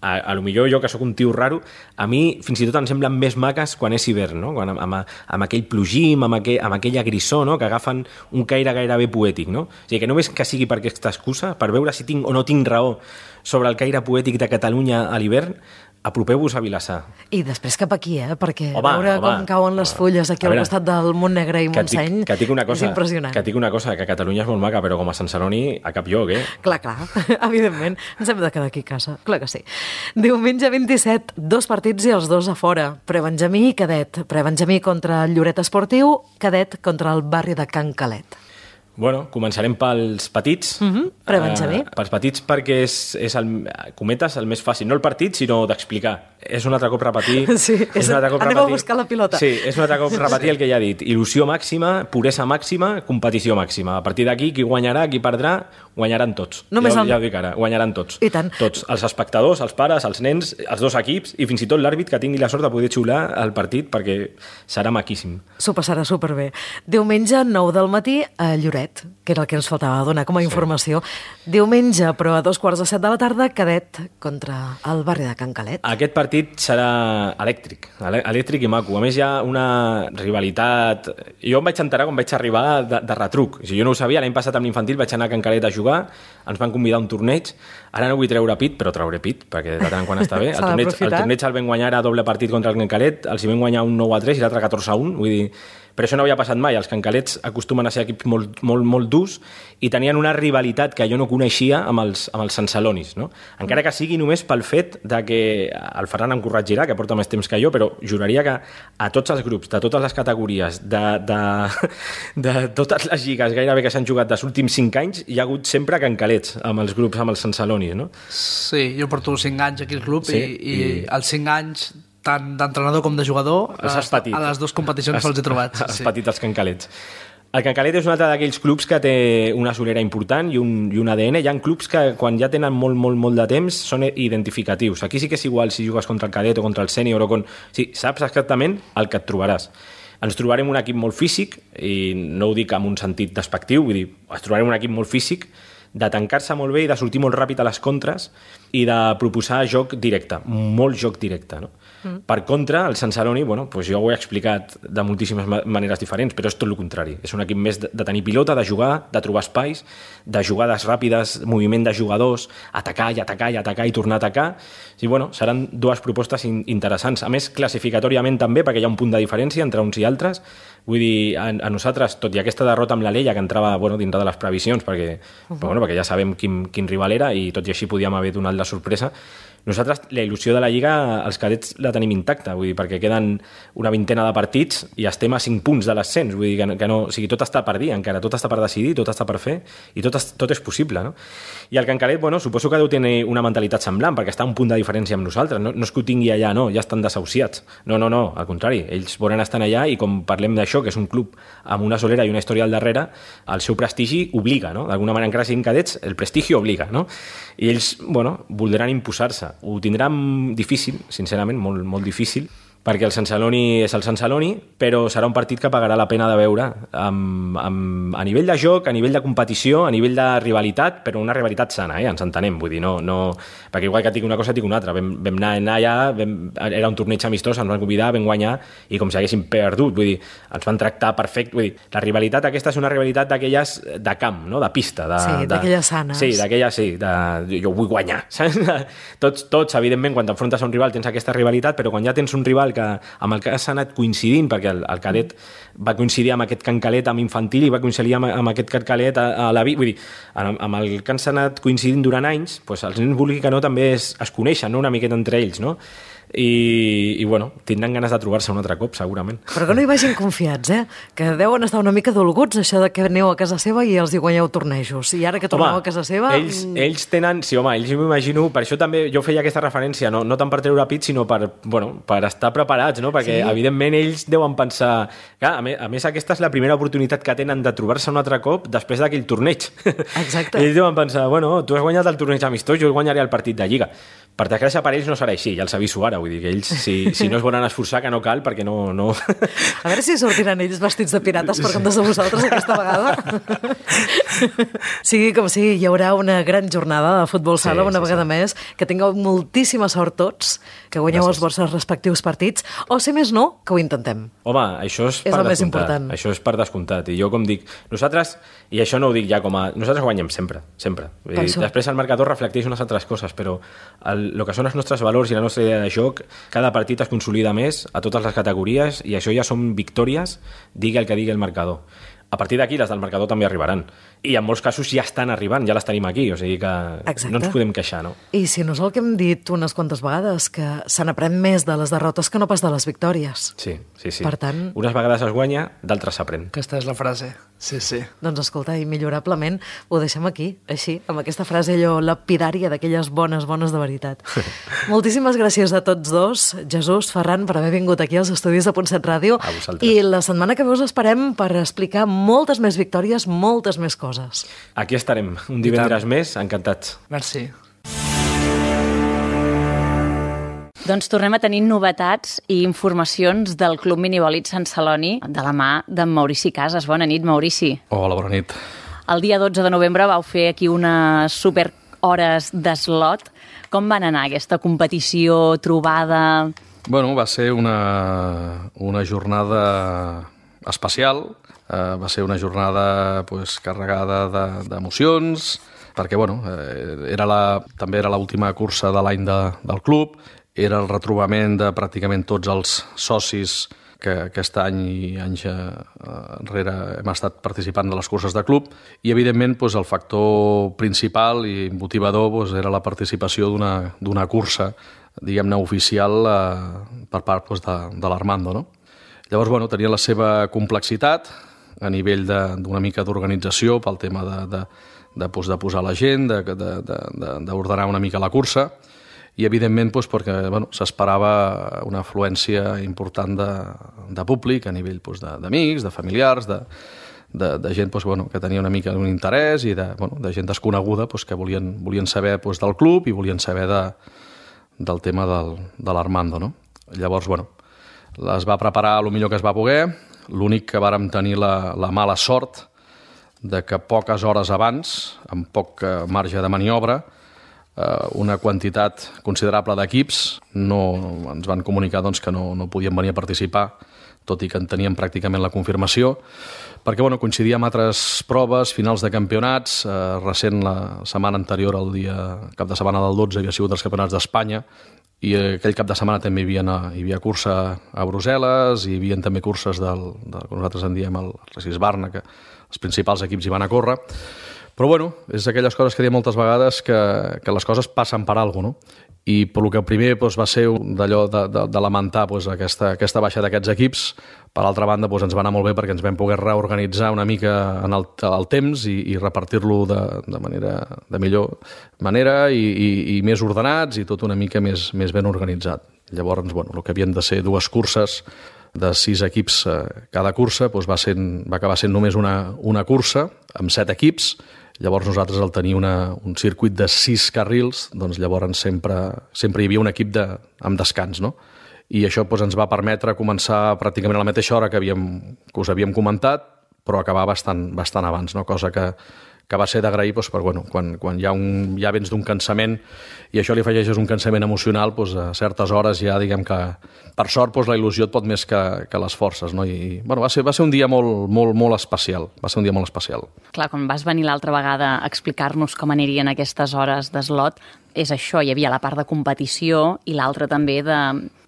[SPEAKER 7] a, a lo millor jo, que sóc un tio raro, a mi fins i tot em semblen més maques quan és hivern, no? Quan, amb, amb, amb aquell plogim, amb, aquell, amb aquella grissó, no? Que agafen un caire gairebé poètic, no? O sigui, que només que sigui per aquesta excusa, per veure si tinc o no tinc raó sobre el caire poètic de Catalunya a l'hivern, apropeu-vos a Vilassar.
[SPEAKER 2] I després cap aquí, eh? Perquè
[SPEAKER 7] home,
[SPEAKER 2] veure
[SPEAKER 7] home,
[SPEAKER 2] com cauen les fulles aquí
[SPEAKER 7] veure,
[SPEAKER 2] al costat del Montnegre i Montseny
[SPEAKER 7] que dic una cosa,
[SPEAKER 2] és impressionant.
[SPEAKER 7] Que et dic una cosa, que Catalunya és molt maca, però com a Sant Celoni a cap lloc, eh?
[SPEAKER 2] Clar, clar, evidentment. Ens hem de quedar aquí a casa, clar que sí. Diumenge vint-i-set, dos partits i els dos a fora. Prebenjamí i Cadet. Prebenjamí contra el Lloret Esportiu, Cadet contra el barri de Can Calet.
[SPEAKER 7] Bueno, començarem pels petits.
[SPEAKER 2] Mm-hmm. Prebenjamí.
[SPEAKER 7] Uh, pels petits perquè és, és el, cometes, el més fàcil. No el partit, sinó d'explicar. És un altre cop repetir...
[SPEAKER 2] Sí, és,
[SPEAKER 7] és un altre cop
[SPEAKER 2] anem
[SPEAKER 7] repetir,
[SPEAKER 2] a buscar la pilota.
[SPEAKER 7] Sí, és un altre cop repetir el que ja he dit. Il·lusió màxima, puresa màxima, competició màxima. A partir d'aquí, qui guanyarà, qui perdrà, guanyaran tots.
[SPEAKER 2] Només
[SPEAKER 7] ja,
[SPEAKER 2] el...
[SPEAKER 7] ja ho dic ara, guanyaran tots.
[SPEAKER 2] I tant.
[SPEAKER 7] Tots. Els espectadors, els pares, els nens, els dos equips i fins i tot l'àrbit que tingui la sort de poder xiular el partit perquè serà maquíssim.
[SPEAKER 2] S'ho passarà superbé. Diumenge, nou del matí, a Lloret, que era el que ens faltava donar com a informació. Sí. Diumenge, però a dos quarts de set de la tarda, Cadet contra el barri de Can Calet.
[SPEAKER 7] Aquest partit serà elèctric, elèctric i maco. A més, hi ha una rivalitat... Jo em vaig enterar quan vaig arribar de, de retruc. O sigui, jo no ho sabia, l'any passat amb l'infantil vaig anar a Can Calet a jugar, ens van convidar a un torneig, ara no vull treure pit, però trauré pit, perquè de tant en quant està bé. El torneig, el torneig el vam guanyar a doble partit contra el Can Calet, els hi vam guanyar un nou a tres i l'altre catorze a un, vull dir... Però això no havia passat mai. Els cancalets acostumen a ser equips molt, molt, molt durs i tenien una rivalitat que jo no coneixia amb els, amb els sancelonis, no? Encara que sigui només pel fet de que el Ferran em corregirà, que porta més temps que jo, però juraria que a tots els grups, de totes les categories, de, de, de totes les lligues gairebé que s'han jugat dels últims cinc anys, hi ha hagut sempre cancalets amb els grups, amb els sancelonis, no?
[SPEAKER 8] Sí, jo porto cinc anys aquí al club sí, i, i, i els cinc anys tant d'entrenador com de jugador, a, a les dues competicions els he trobat.
[SPEAKER 7] Els sí. petits, els cancalets. El Can Calet és un altre d'aquells clubs que té una solera important i un, i un A D N. Hi ha clubs que quan ja tenen molt, molt, molt de temps són identificatius. Aquí sí que és igual si jugues contra el cadet o contra el sènior o con... Sí, saps exactament el que et trobaràs. Ens trobarem un equip molt físic, i no ho dic amb un sentit despectiu, vull dir, ens trobarem un equip molt físic, de tancar-se molt bé i de sortir molt ràpid a les contres i de proposar joc directe, molt joc directe, no? Mm. Per contra, el Sant Celoni, bueno, doncs jo ho he explicat de moltíssimes maneres diferents, però és tot el contrari. És un equip més de, de tenir pilota, de jugar, de trobar espais, de jugades ràpides, moviment de jugadors, atacar i atacar i atacar i tornar a atacar. I, bueno, seran dues propostes in interessants. A més, classificatòriament també, perquè hi ha un punt de diferència entre uns i altres. Vull dir, a, a nosaltres, tot i aquesta derrota amb l'Alella, que entrava bueno, dintre de les previsions, perquè, uh -huh. però, bueno, perquè ja sabem quin, quin rival era i tot i així podíem haver donat la sorpresa, nosaltres la il·lusió de la Lliga, els cadets la tenim intacta, vull dir, perquè queden una vintena de partits i estem a cinc punts de l'ascens, vull dir que, que no, o sigui, tot està per dir encara, tot està per decidir, tot està per fer i tot, tot és possible, no? I el Can Calet, bueno, suposo que deu tenir una mentalitat semblant, perquè està a un punt de diferència amb nosaltres, no, no és que ho tingui allà, no, ja estan desahuciats, no, no, no, al contrari, ells volen estar allà i com parlem d'això, que és un club amb una solera i una història al darrere, el seu prestigi obliga, no? D'alguna manera, encara siguin cadets, el prestigi obliga, no? I ells, bueno, voldran imposar-se. Ho tindran difícil, sincerament, molt, molt difícil, perquè el Sant Celoni és el Sant Celoni, però serà un partit que pagarà la pena de veure amb, amb, a nivell de joc, a nivell de competició, a nivell de rivalitat, però una rivalitat sana, eh? Ens entenem, vull dir, no, no... perquè igual que et dic una cosa, et dic una altra. Vam, vam anar, anar allà, vam, era un torneig amistós, ens van convidar, vam guanyar, i com si haguéssim perdut, vull dir, ens van tractar perfecte, vull dir, la rivalitat aquesta és una rivalitat d'aquelles de camp, no? De pista. De,
[SPEAKER 2] sí, d'aquelles sanes.
[SPEAKER 7] Sí, d'aquelles, sí, de, jo vull guanyar, saps? Tots, tots, evidentment, quan t'enfrontes a un rival tens aquesta rivalitat, però quan ja tens un rival que, amb el que has anat coincidint, perquè el, el cadet va coincidir amb aquest cancalet amb infantil i va coincidir amb, amb aquest cancalet a, a la vi, vull dir, amb, amb el que han anat coincidint durant anys, doncs els nens, vulgui que no, també es, es coneixen, no? Una miqueta entre ells, no? I, i bueno, tindran ganes de trobar-se un altre cop, segurament.
[SPEAKER 2] Però que no hi vagin confiats, eh? Que deuen estar una mica dolguts, això de que aneu a casa seva i els hi guanyeu tornejos. I ara que torneu home, a casa seva...
[SPEAKER 7] Ells, ells tenen... Sí, home, ells m'imagino... Per això també jo feia aquesta referència, no, no tant per treure pit, sinó per, bueno, per estar preparats, no? Perquè, sí. Evidentment, ells deuen pensar... Clar, a, més, a més, aquesta és la primera oportunitat que tenen de trobar-se un altre cop després d'aquell torneig.
[SPEAKER 2] Exacte.
[SPEAKER 7] Ells deuen pensar, bueno, tu has guanyat el torneig amistós, jo guanyaré el partit de Lliga. Per desgràcia, per ells no serà així, ja els aviso ara, vull dir que ells, si, si no es volen esforçar, que no cal, perquè no... no...
[SPEAKER 2] A veure si sortiran ells vestits de pirates per comptes de vosaltres aquesta vegada. Sigui com sigui, hi haurà una gran jornada de futbol sala, sí, una sí, vegada sí. més, que tingueu moltíssima sort tots, que guanyeu Gràcies. Els vostres respectius partits, o si més no, que ho intentem.
[SPEAKER 7] Home, això és,
[SPEAKER 2] és
[SPEAKER 7] per
[SPEAKER 2] el més
[SPEAKER 7] descomptat.
[SPEAKER 2] important.
[SPEAKER 7] Això és per descomptat. I jo, com dic, nosaltres, i això no ho dic ja com a... Nosaltres guanyem sempre, sempre. I després el marcador reflecteix unes altres coses, però el, el que són els nostres valors i la nostra idea de joc, cada partit es consolida més a totes les categories i això ja són victòries, digui el que digui el marcador. A partir d'aquí, les del marcador també arribaran. I en molts casos ja estan arribant, ja les tenim aquí, o sigui que Exacte. No ens podem queixar, no?
[SPEAKER 2] I si no és el que hem dit unes quantes vegades, que se n'aprèn més de les derrotes que no pas de les victòries.
[SPEAKER 7] Sí, sí, sí.
[SPEAKER 2] Per tant...
[SPEAKER 7] Unes vegades es guanya, d'altres s'aprèn.
[SPEAKER 8] Aquesta és la frase, sí, sí.
[SPEAKER 2] Doncs escolta, immillorablement ho deixem aquí, així, amb aquesta frase allò lapidària d'aquelles bones, bones de veritat. Moltíssimes gràcies a tots dos, Jesús, Ferran, per haver vingut aquí als estudis de Punt set Ràdio.
[SPEAKER 7] A vosaltres.
[SPEAKER 2] I la setmana que ve us esperem per explicar moltes més victòries, moltes més coses.
[SPEAKER 7] Aquí estarem, un divendres més, encantats.
[SPEAKER 8] Merci.
[SPEAKER 1] Doncs tornem a tenir novetats i informacions del Club Minibòlit Sant Celoni de la mà d'en Maurici Casas. Bona nit, Maurici.
[SPEAKER 9] Hola, bona nit.
[SPEAKER 1] El dia dotze de novembre vau fer aquí unes super hores d'eslot. Com van anar aquesta competició, trobada?
[SPEAKER 9] Bueno, va ser una, una jornada especial. Uh, va ser una jornada pues, carregada d'emocions, de, perquè bueno, eh, era la, també era l'última cursa de l'any de, del club, era el retrobament de pràcticament tots els socis que aquest any i anys enrere hem estat participant de les curses de club, i evidentment pues, el factor principal i motivador pues, era la participació d'una cursa, diguem-ne, oficial eh, per part pues, de, de l'Armando, no? Llavors, bueno, tenia la seva complexitat a nivell d'una mica d'organització pel tema de, de, de, pues, de posar la gent, d'ordenar una mica la cursa, i evidentment pues, perquè bueno, s'esperava una afluència important de, de públic a nivell pues, d'amics, de, de familiars, de, de, de gent pues, bueno, que tenia una mica un interès i de, bueno, de gent desconeguda pues, que volien, volien saber pues, del club i volien saber de, del tema del, de l'Armando. No? Llavors, bueno, es va preparar el millor que es va poder. L'únic que vàrem tenir la, la mala sort de que poques hores abans, amb poc marge de maniobra, eh, una quantitat considerable d'equips no, ens van comunicar doncs, que no, no podien venir a participar, tot i que en teníem pràcticament la confirmació, perquè bueno, coincidia amb altres proves, finals de campionats. Eh, recent, la setmana anterior, el dia cap de setmana del dotze, havia sigut els campionats d'Espanya, i aquell cap de setmana també hi havia, hi havia cursa a Brussel·les, i hi havia també curses del, del que nosaltres en diem el Recis Barna, que els principals equips hi van a córrer. Però bueno, és aquelles coses que diem moltes vegades que, que les coses passen per alguna cosa, no? I pel que primer doncs, va ser d'allò de, de, de lamentar doncs, aquesta, aquesta baixa d'aquests equips. Per altra banda, doncs, ens va anar molt bé perquè ens vam poder reorganitzar una mica en el, el temps i, i repartir-lo de, de manera de millor manera i, i, i més ordenats i tot una mica més, més ben organitzat. Llavors, bueno, el que havien de ser dues curses de sis equips eh, cada cursa doncs va, ser, va acabar sent només una, una cursa amb set equips. Llavors nosaltres al tenir una, un circuit de sis carrils, doncs llavors sempre, sempre hi havia un equip de, amb descans, no? i això doncs, ens va permetre començar pràcticament a la mateixa hora que, havíem, que us havíem comentat, però acabar bastant, bastant abans, no? Cosa que, que va ser d'agrair doncs, per, bueno, quan, quan hi ha un, ja vens d'un cansament i això li afegeixes un cansament emocional, doncs, a certes hores ja diguem que per sort doncs, la il·lusió et pot més que, que les forces, no? I bueno, va, ser, va ser un dia molt, molt, molt especial, va ser un dia molt especial.
[SPEAKER 1] Clar, quan vas venir l'altra vegada a explicar-nos com anirien aquestes hores d'eslot, és això, hi havia la part de competició i l'altra també de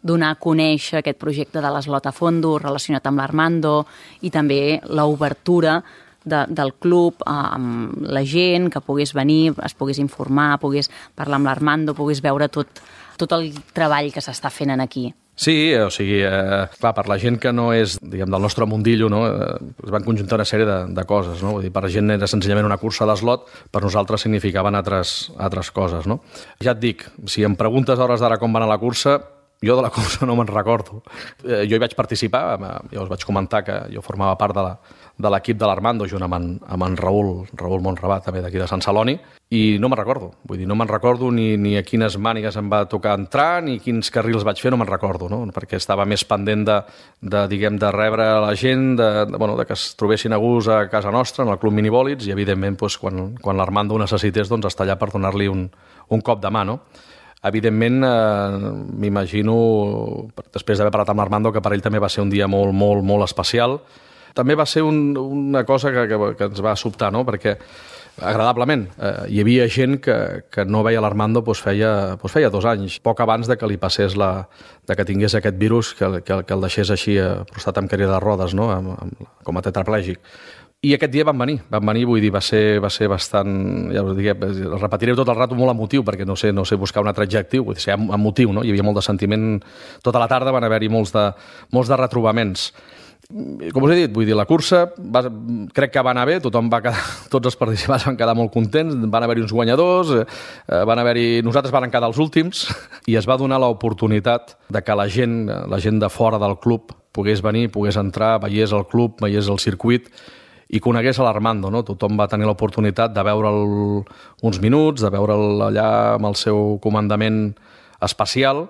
[SPEAKER 1] donar a conèixer aquest projecte de l'eslot a fondo relacionat amb l'Armando i també l'obertura de, del club eh, amb la gent, que pogués venir, es pogués informar, pogués parlar amb l'Armando, pogués veure tot, tot el treball que s'està fent aquí.
[SPEAKER 9] Sí, o sigui, eh, clar, per la gent que no és, diguem, del nostre mundillo, no, eh, es van conjuntar una sèrie de, de coses, no? Vull dir, per la gent era senzillament una cursa d'eslot, per nosaltres significaven altres, altres coses, no? Ja et dic, si em preguntes a hores d'ara com va anar la cursa, jo de la cursa no me'n recordo. Eh, jo hi vaig participar, ja us vaig comentar que jo formava part de la, de l'equip de l'Armando, junt amb en, amb en Raül, Raül Montrabat, també d'aquí de Sant Celoni, i no me'n recordo. Vull dir, no me'n recordo ni, ni a quines mànigues em va tocar entrar, ni quins carrils vaig fer, no me'n recordo, no? Perquè estava més pendent de, de, diguem, de rebre la gent, de, de, bueno, de que es trobessin a gust a casa nostra, en el Club Minibòlits, i evidentment, doncs, quan, quan l'Armando ho necessités, doncs, estar allà per donar-li un, un cop de mà, no? Evidentment, eh, m'imagino, després d'haver parlat amb l'Armando, que per ell també va ser un dia molt, molt, molt especial. També va ser un, una cosa que, que, que ens va sobtar, no? Perquè agradablement eh, hi havia gent que, que no veia l'Armando doncs feia, doncs feia dos anys, poc abans de que li passés la, de que tingués aquest virus, que, que, que el deixés així eh, prostat amb cadira de rodes, no? amb, amb, com a tetraplègic. I aquest dia van venir, van venir, vull dir, va ser, va ser bastant, ja us dic, repetiré tot el rato molt emotiu, perquè no sé, no sé buscar un altre adjectiu, vull dir, ser emotiu, no? Hi havia molt de sentiment, tota la tarda van haver-hi molts de, molts de retrobaments. Com us he dit, vull dir, la cursa va, crec que va anar bé, tothom va quedar, tots els participants van quedar molt contents, van haver-hi uns guanyadors, eh, van haver-hi, nosaltres van quedar els últims, i es va donar l'oportunitat de que la gent, la gent de fora del club pogués venir, pogués entrar, veiés el club, veiés el circuit, i conegués a l'Armando, no? Tothom va tenir l'oportunitat de veure'l uns minuts, de veure'l allà amb el seu comandament especial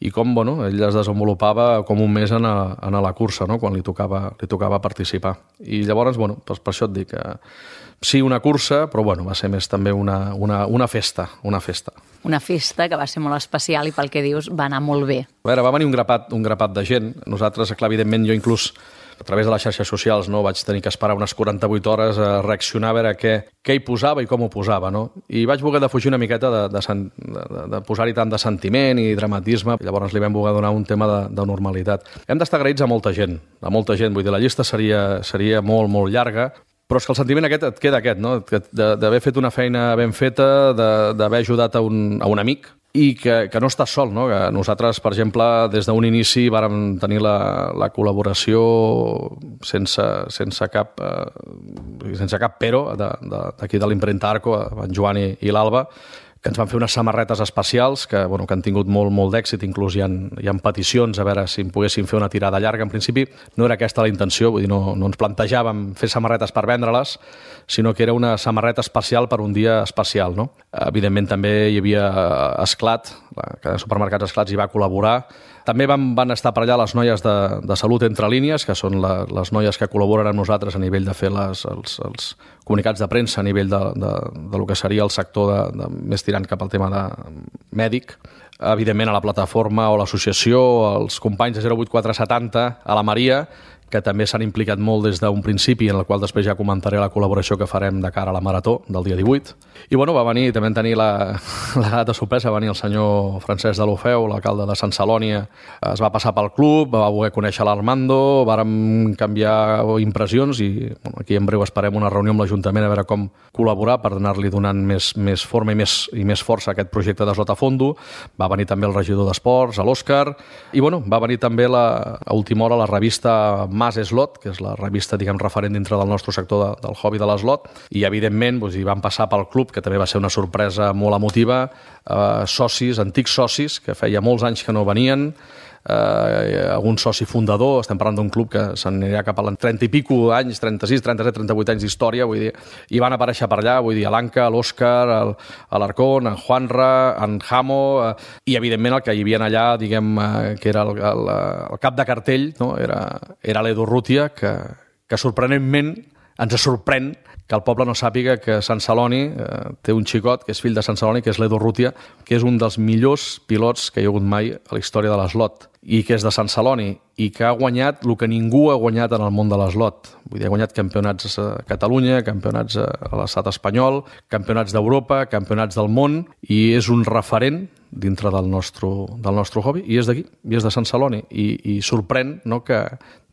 [SPEAKER 9] i com, bueno, ell es desenvolupava com un mes en a, en a la cursa, no? Quan li tocava, li tocava participar. I llavors, bueno, per, per això et dic que sí, una cursa, però bueno, va ser més també una, una, una festa, una festa.
[SPEAKER 1] Una festa que va ser molt especial i pel que dius va anar molt bé.
[SPEAKER 9] A veure, va venir un grapat, un grapat de gent. Nosaltres, clar, evidentment, jo inclús a través de les xarxes socials no vaig tenir que esperar unes quaranta-vuit hores a reaccionar a veure què, què hi posava i com ho posava, no? I vaig voler defugir una miqueta de, de, de, de posar-hi tant de sentiment i dramatisme, i llavors li vam voler donar un tema de, de normalitat. Hem d'estar agraïts a molta gent, a molta gent, vull dir, la llista seria, seria molt, molt llarga, però és que el sentiment aquest et queda aquest, no? D'haver fet una feina ben feta, d'haver ajudat a un, a un amic, i que, que no estàs sol, no? Que nosaltres, per exemple, des d'un inici vàrem tenir la, la col·laboració sense, sense, cap, eh, sense cap però d'aquí de, de l'impremta Arco, en Joan i, i l'Alba, que ens van fer unes samarretes especials que, bueno, que han tingut molt, molt d'èxit, inclús hi ha, hi ha peticions a veure si en poguéssim fer una tirada llarga. En principi no era aquesta la intenció, vull dir, no, no ens plantejàvem fer samarretes per vendre-les, sinó que era una samarreta especial per un dia especial, no? Evidentment també hi havia Esclat, la cadena de supermercats Esclats hi va col·laborar. També van, van estar per allà les noies de, de Salut Entre Línies, que són la, les noies que col·laboren amb nosaltres a nivell de fer les, els, els comunicats de premsa, a nivell de, de, de lo que seria el sector de, de, més tirant cap al tema de mèdic. Evidentment a la plataforma o l'associació, els companys de zero vuit quatre setanta, a la Maria, que també s'han implicat molt des d'un principi, en el qual després ja comentaré la col·laboració que farem de cara a la Marató del dia divuit. I bueno, va venir, també tenir la, la gata de sorpresa, va venir el senyor Francesc de l'Ofeu, l'alcalde de Sant Celoni, es va passar pel club, va voler conèixer l'Armando, vàrem canviar impressions i bueno, aquí en breu esperem una reunió amb l'Ajuntament a veure com col·laborar per donar-li donant més, més forma i més, i més força a aquest projecte d'Eslot a Fondo. Va venir també el regidor d'Esports, l'Òscar, i bueno, va venir també la, a última hora la revista Mas Eslot, que és la revista, diguem, referent dintre del nostre sector de, del hobby de l'eslot, i evidentment doncs, hi van passar pel club, que també va ser una sorpresa molt emotiva, eh, socis, antics socis, que feia molts anys que no venien, eh, algun soci fundador, estem parlant d'un club que s'anirà cap a l'any trenta i pico anys, trenta-sis, trenta-set, trenta-vuit anys d'història, vull dir, i van aparèixer per allà, vull dir, l'Anca, l'Òscar, l'Arcón, en Juanra, en Jamo, eh, i evidentment el que hi havia allà, diguem, eh, que era el, el, el cap de cartell, no? era, era l'Edu Urrutia, que, que sorprenentment ens sorprèn que el poble no sàpiga que Sant Celoni eh, té un xicot que és fill de Sant Celoni, que és l'Edu Urrutia, que és un dels millors pilots que hi ha hagut mai a la història de l'eslot, i que és de Sant Celoni, i que ha guanyat el que ningú ha guanyat en el món de l'eslot. Vull dir, ha guanyat campionats a Catalunya, campionats a l'estat espanyol, campionats d'Europa, campionats del món, i és un referent dintre del nostre, del nostre hobby, i és d'aquí, i és de Sant Celoni, i, i sorprèn, no?, que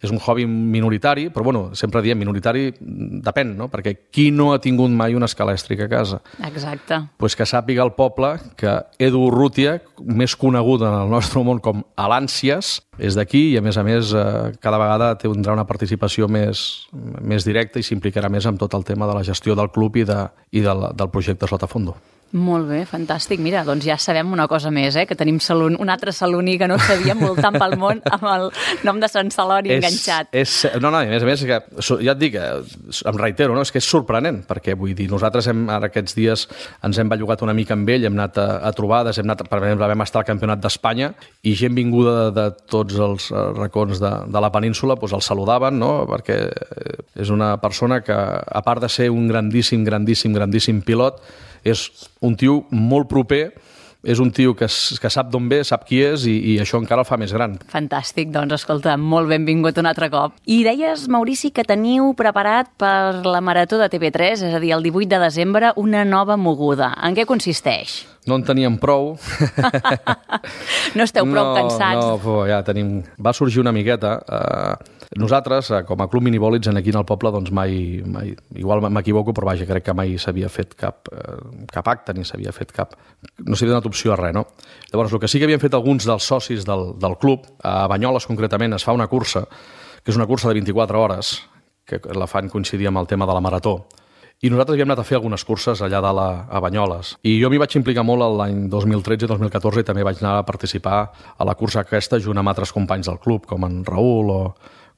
[SPEAKER 9] és un hobby minoritari, però bueno, sempre diem minoritari, depèn, no?, perquè qui no ha tingut mai una escala elèctrica a casa?
[SPEAKER 1] Exacte.
[SPEAKER 9] Pues que sàpiga el poble que Edu Urrutia, més conegut en el nostre món com Alàncies, és d'aquí i a més a més eh, cada vegada tindrà una participació més, més directa i s'implicarà més amb tot el tema de la gestió del club i, de, i del, del projecte Slot a Fondo.
[SPEAKER 1] Molt bé, fantàstic. Mira, doncs ja sabem una cosa més, eh? Que tenim salon, un altre saloní que no sabíem voltant pel món amb el nom de Sant Celoni és, enganxat.
[SPEAKER 9] És, no, no, a més a més, que, ja et dic, em reitero, no? És que és sorprenent, perquè vull dir, nosaltres hem, ara aquests dies ens hem bellugat una mica amb ell, hem anat a, a trobades, hem anat, per exemple, vam estar al Campionat d'Espanya i gent vinguda de, de tots els racons de, de la península doncs el saludaven, no? Perquè és una persona que, a part de ser un grandíssim, grandíssim, grandíssim pilot, és un tio molt proper, és un tio que, que sap d'on ve, sap qui és i, i això encara el fa més gran.
[SPEAKER 1] Fantàstic, doncs escolta, molt benvingut un altre cop. I deies, Maurici, que teniu preparat per la Marató de T V tres, és a dir, el divuit de desembre, una nova moguda. En què consisteix?
[SPEAKER 9] No en teníem prou.
[SPEAKER 1] No esteu prou
[SPEAKER 9] no,
[SPEAKER 1] cansats?
[SPEAKER 9] No, no, ja tenim... Va sorgir una miqueta. Eh, nosaltres, eh, com a Club Minibòlids, aquí en el poble, doncs mai... mai igual m'equivoco, però vaja, crec que mai s'havia fet cap, eh, cap acte, ni s'havia fet cap... No s'havia donat opció a res, no? Llavors, el que sí que havien fet alguns dels socis del, del club, a Banyoles concretament, es fa una cursa, que és una cursa de vint-i-quatre hores, que la fan coincidir amb el tema de la marató. I nosaltres havíem anat a fer algunes curses allà dalt a, a Banyoles. I jo m'hi vaig implicar molt l'any dos mil tretze i dos mil catorze i també vaig anar a participar a la cursa aquesta junt amb altres companys del club, com en Raül o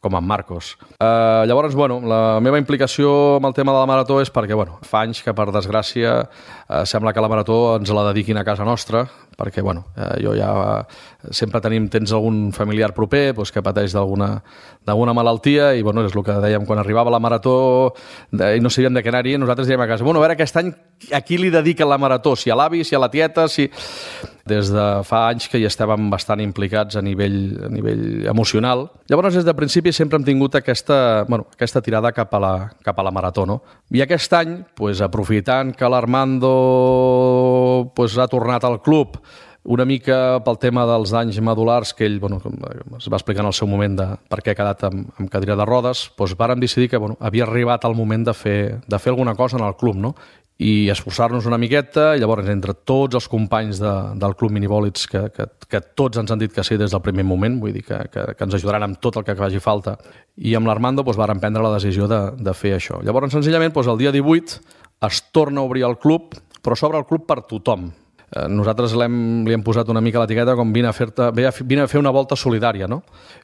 [SPEAKER 9] com en Marcos. Eh, llavors, bueno, la meva implicació amb el tema de la marató és perquè, bueno, fa anys que, per desgràcia, eh, sembla que la marató ens la dediquin a casa nostra, perquè, bueno, eh, jo ja eh, sempre tenim, tens algun familiar proper doncs, que pateix d'alguna d'alguna malaltia i, bueno, és el que dèiem quan arribava la marató de, i no sabíem de què anar-hi, nosaltres dèiem a casa, bueno, a veure aquest any a qui li dediquen la marató, si a l'avi, si a la tieta, si... Des de fa anys que hi estàvem bastant implicats a nivell, a nivell emocional. Llavors, des de principi sempre hem tingut aquesta, bueno, aquesta tirada cap a la, cap a la marató, no? I aquest any, pues, aprofitant que l'Armando pues, ha tornat al club una mica pel tema dels danys medulars que ell, bueno, es va explicar en el seu moment de per què ha quedat amb, amb cadira de rodes, doncs vàrem decidir que, bueno, havia arribat el moment de fer, de fer alguna cosa en el club, no? I esforçar-nos una miqueta, i llavors entre tots els companys de, del Club Minibòlids que, que, que tots ens han dit que sí des del primer moment, vull dir que, que, que ens ajudaran amb tot el que faci falta, i amb l'Armando doncs, vàrem prendre la decisió de, de fer això. Llavors, senzillament, doncs, el dia divuit es torna a obrir el club, però s'obre el club per tothom. Nosaltres l'hem, li hem posat una mica l'etiqueta com vine a, fer vine a fer una volta solidària, no?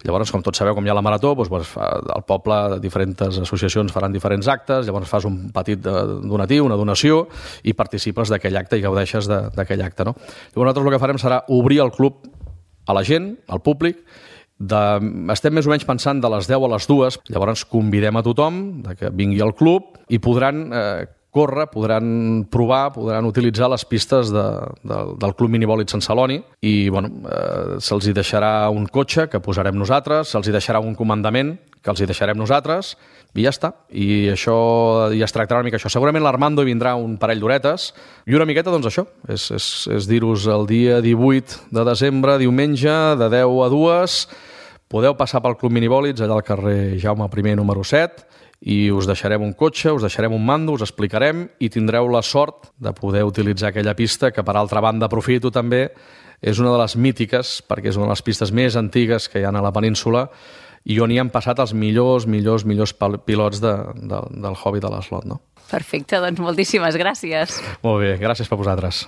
[SPEAKER 9] Llavors, com tots sabeu, com hi ha la marató, doncs, doncs, al poble diferents associacions faran diferents actes, llavors fas un petit donatiu, una donació, i participes d'aquell acte i gaudeixes d'aquell acte, no? Llavors, nosaltres el que farem serà obrir el club a la gent, al públic. De, estem més o menys pensant de les deu a les dues, llavors convidem a tothom de que vingui al club i podran... Eh, córrer, podran provar, podran utilitzar les pistes de, de, del Club Minibòlid Sant Celoni i bueno, eh, se'ls hi deixarà un cotxe que posarem nosaltres, se'ls hi deixarà un comandament que els hi deixarem nosaltres i ja està. I això ja es tractarà una mica això. Segurament l'Armando hi vindrà un parell d'horetes i una miqueta, doncs això, és, és, és dir-vos el dia divuit de desembre, diumenge, de deu a dues, podeu passar pel Club Minibòlids allà al carrer Jaume primer número set, i us deixarem un cotxe, us deixarem un mando, us explicarem i tindreu la sort de poder utilitzar aquella pista que, per altra banda, aprofito també, és una de les mítiques, perquè és una de les pistes més antigues que hi ha a la península i on hi han passat els millors, millors, millors pilots de, de, del hobby de l'eslot, no?
[SPEAKER 1] Perfecte, doncs moltíssimes gràcies.
[SPEAKER 9] Molt bé, gràcies per vosaltres.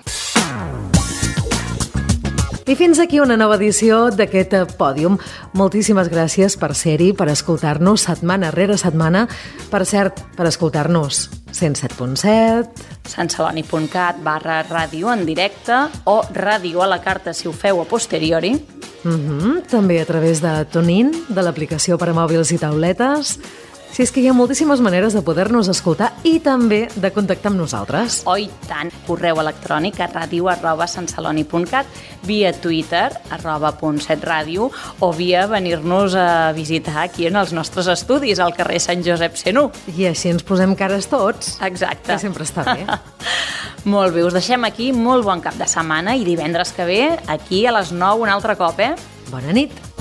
[SPEAKER 2] I fins aquí una nova edició d'aquest Pòdium. Moltíssimes gràcies per ser-hi, per escoltar-nos setmana rere setmana. Per cert, per escoltar-nos cent set punt set...
[SPEAKER 1] santceloni.cat barra ràdio en directe o ràdio a la carta si ho feu a posteriori.
[SPEAKER 2] Mm-hmm. També a través de TuneIn, de l'aplicació per a mòbils i tauletes. Si és que hi ha moltíssimes maneres de poder-nos escoltar i també de contactar amb nosaltres.
[SPEAKER 1] Oh, i tant! Correu electrònic a ràdio arroba santceloni.cat, via Twitter, arroba punt set ràdio, o via venir-nos a visitar aquí en els nostres estudis, al carrer Sant Josep cent u.
[SPEAKER 2] I així ens posem cares tots.
[SPEAKER 1] Exacte.
[SPEAKER 2] Que sempre està bé.
[SPEAKER 1] Molt bé, us deixem aquí, molt bon cap de setmana i divendres que ve, aquí a les nou un altre cop, eh?
[SPEAKER 2] Bona nit.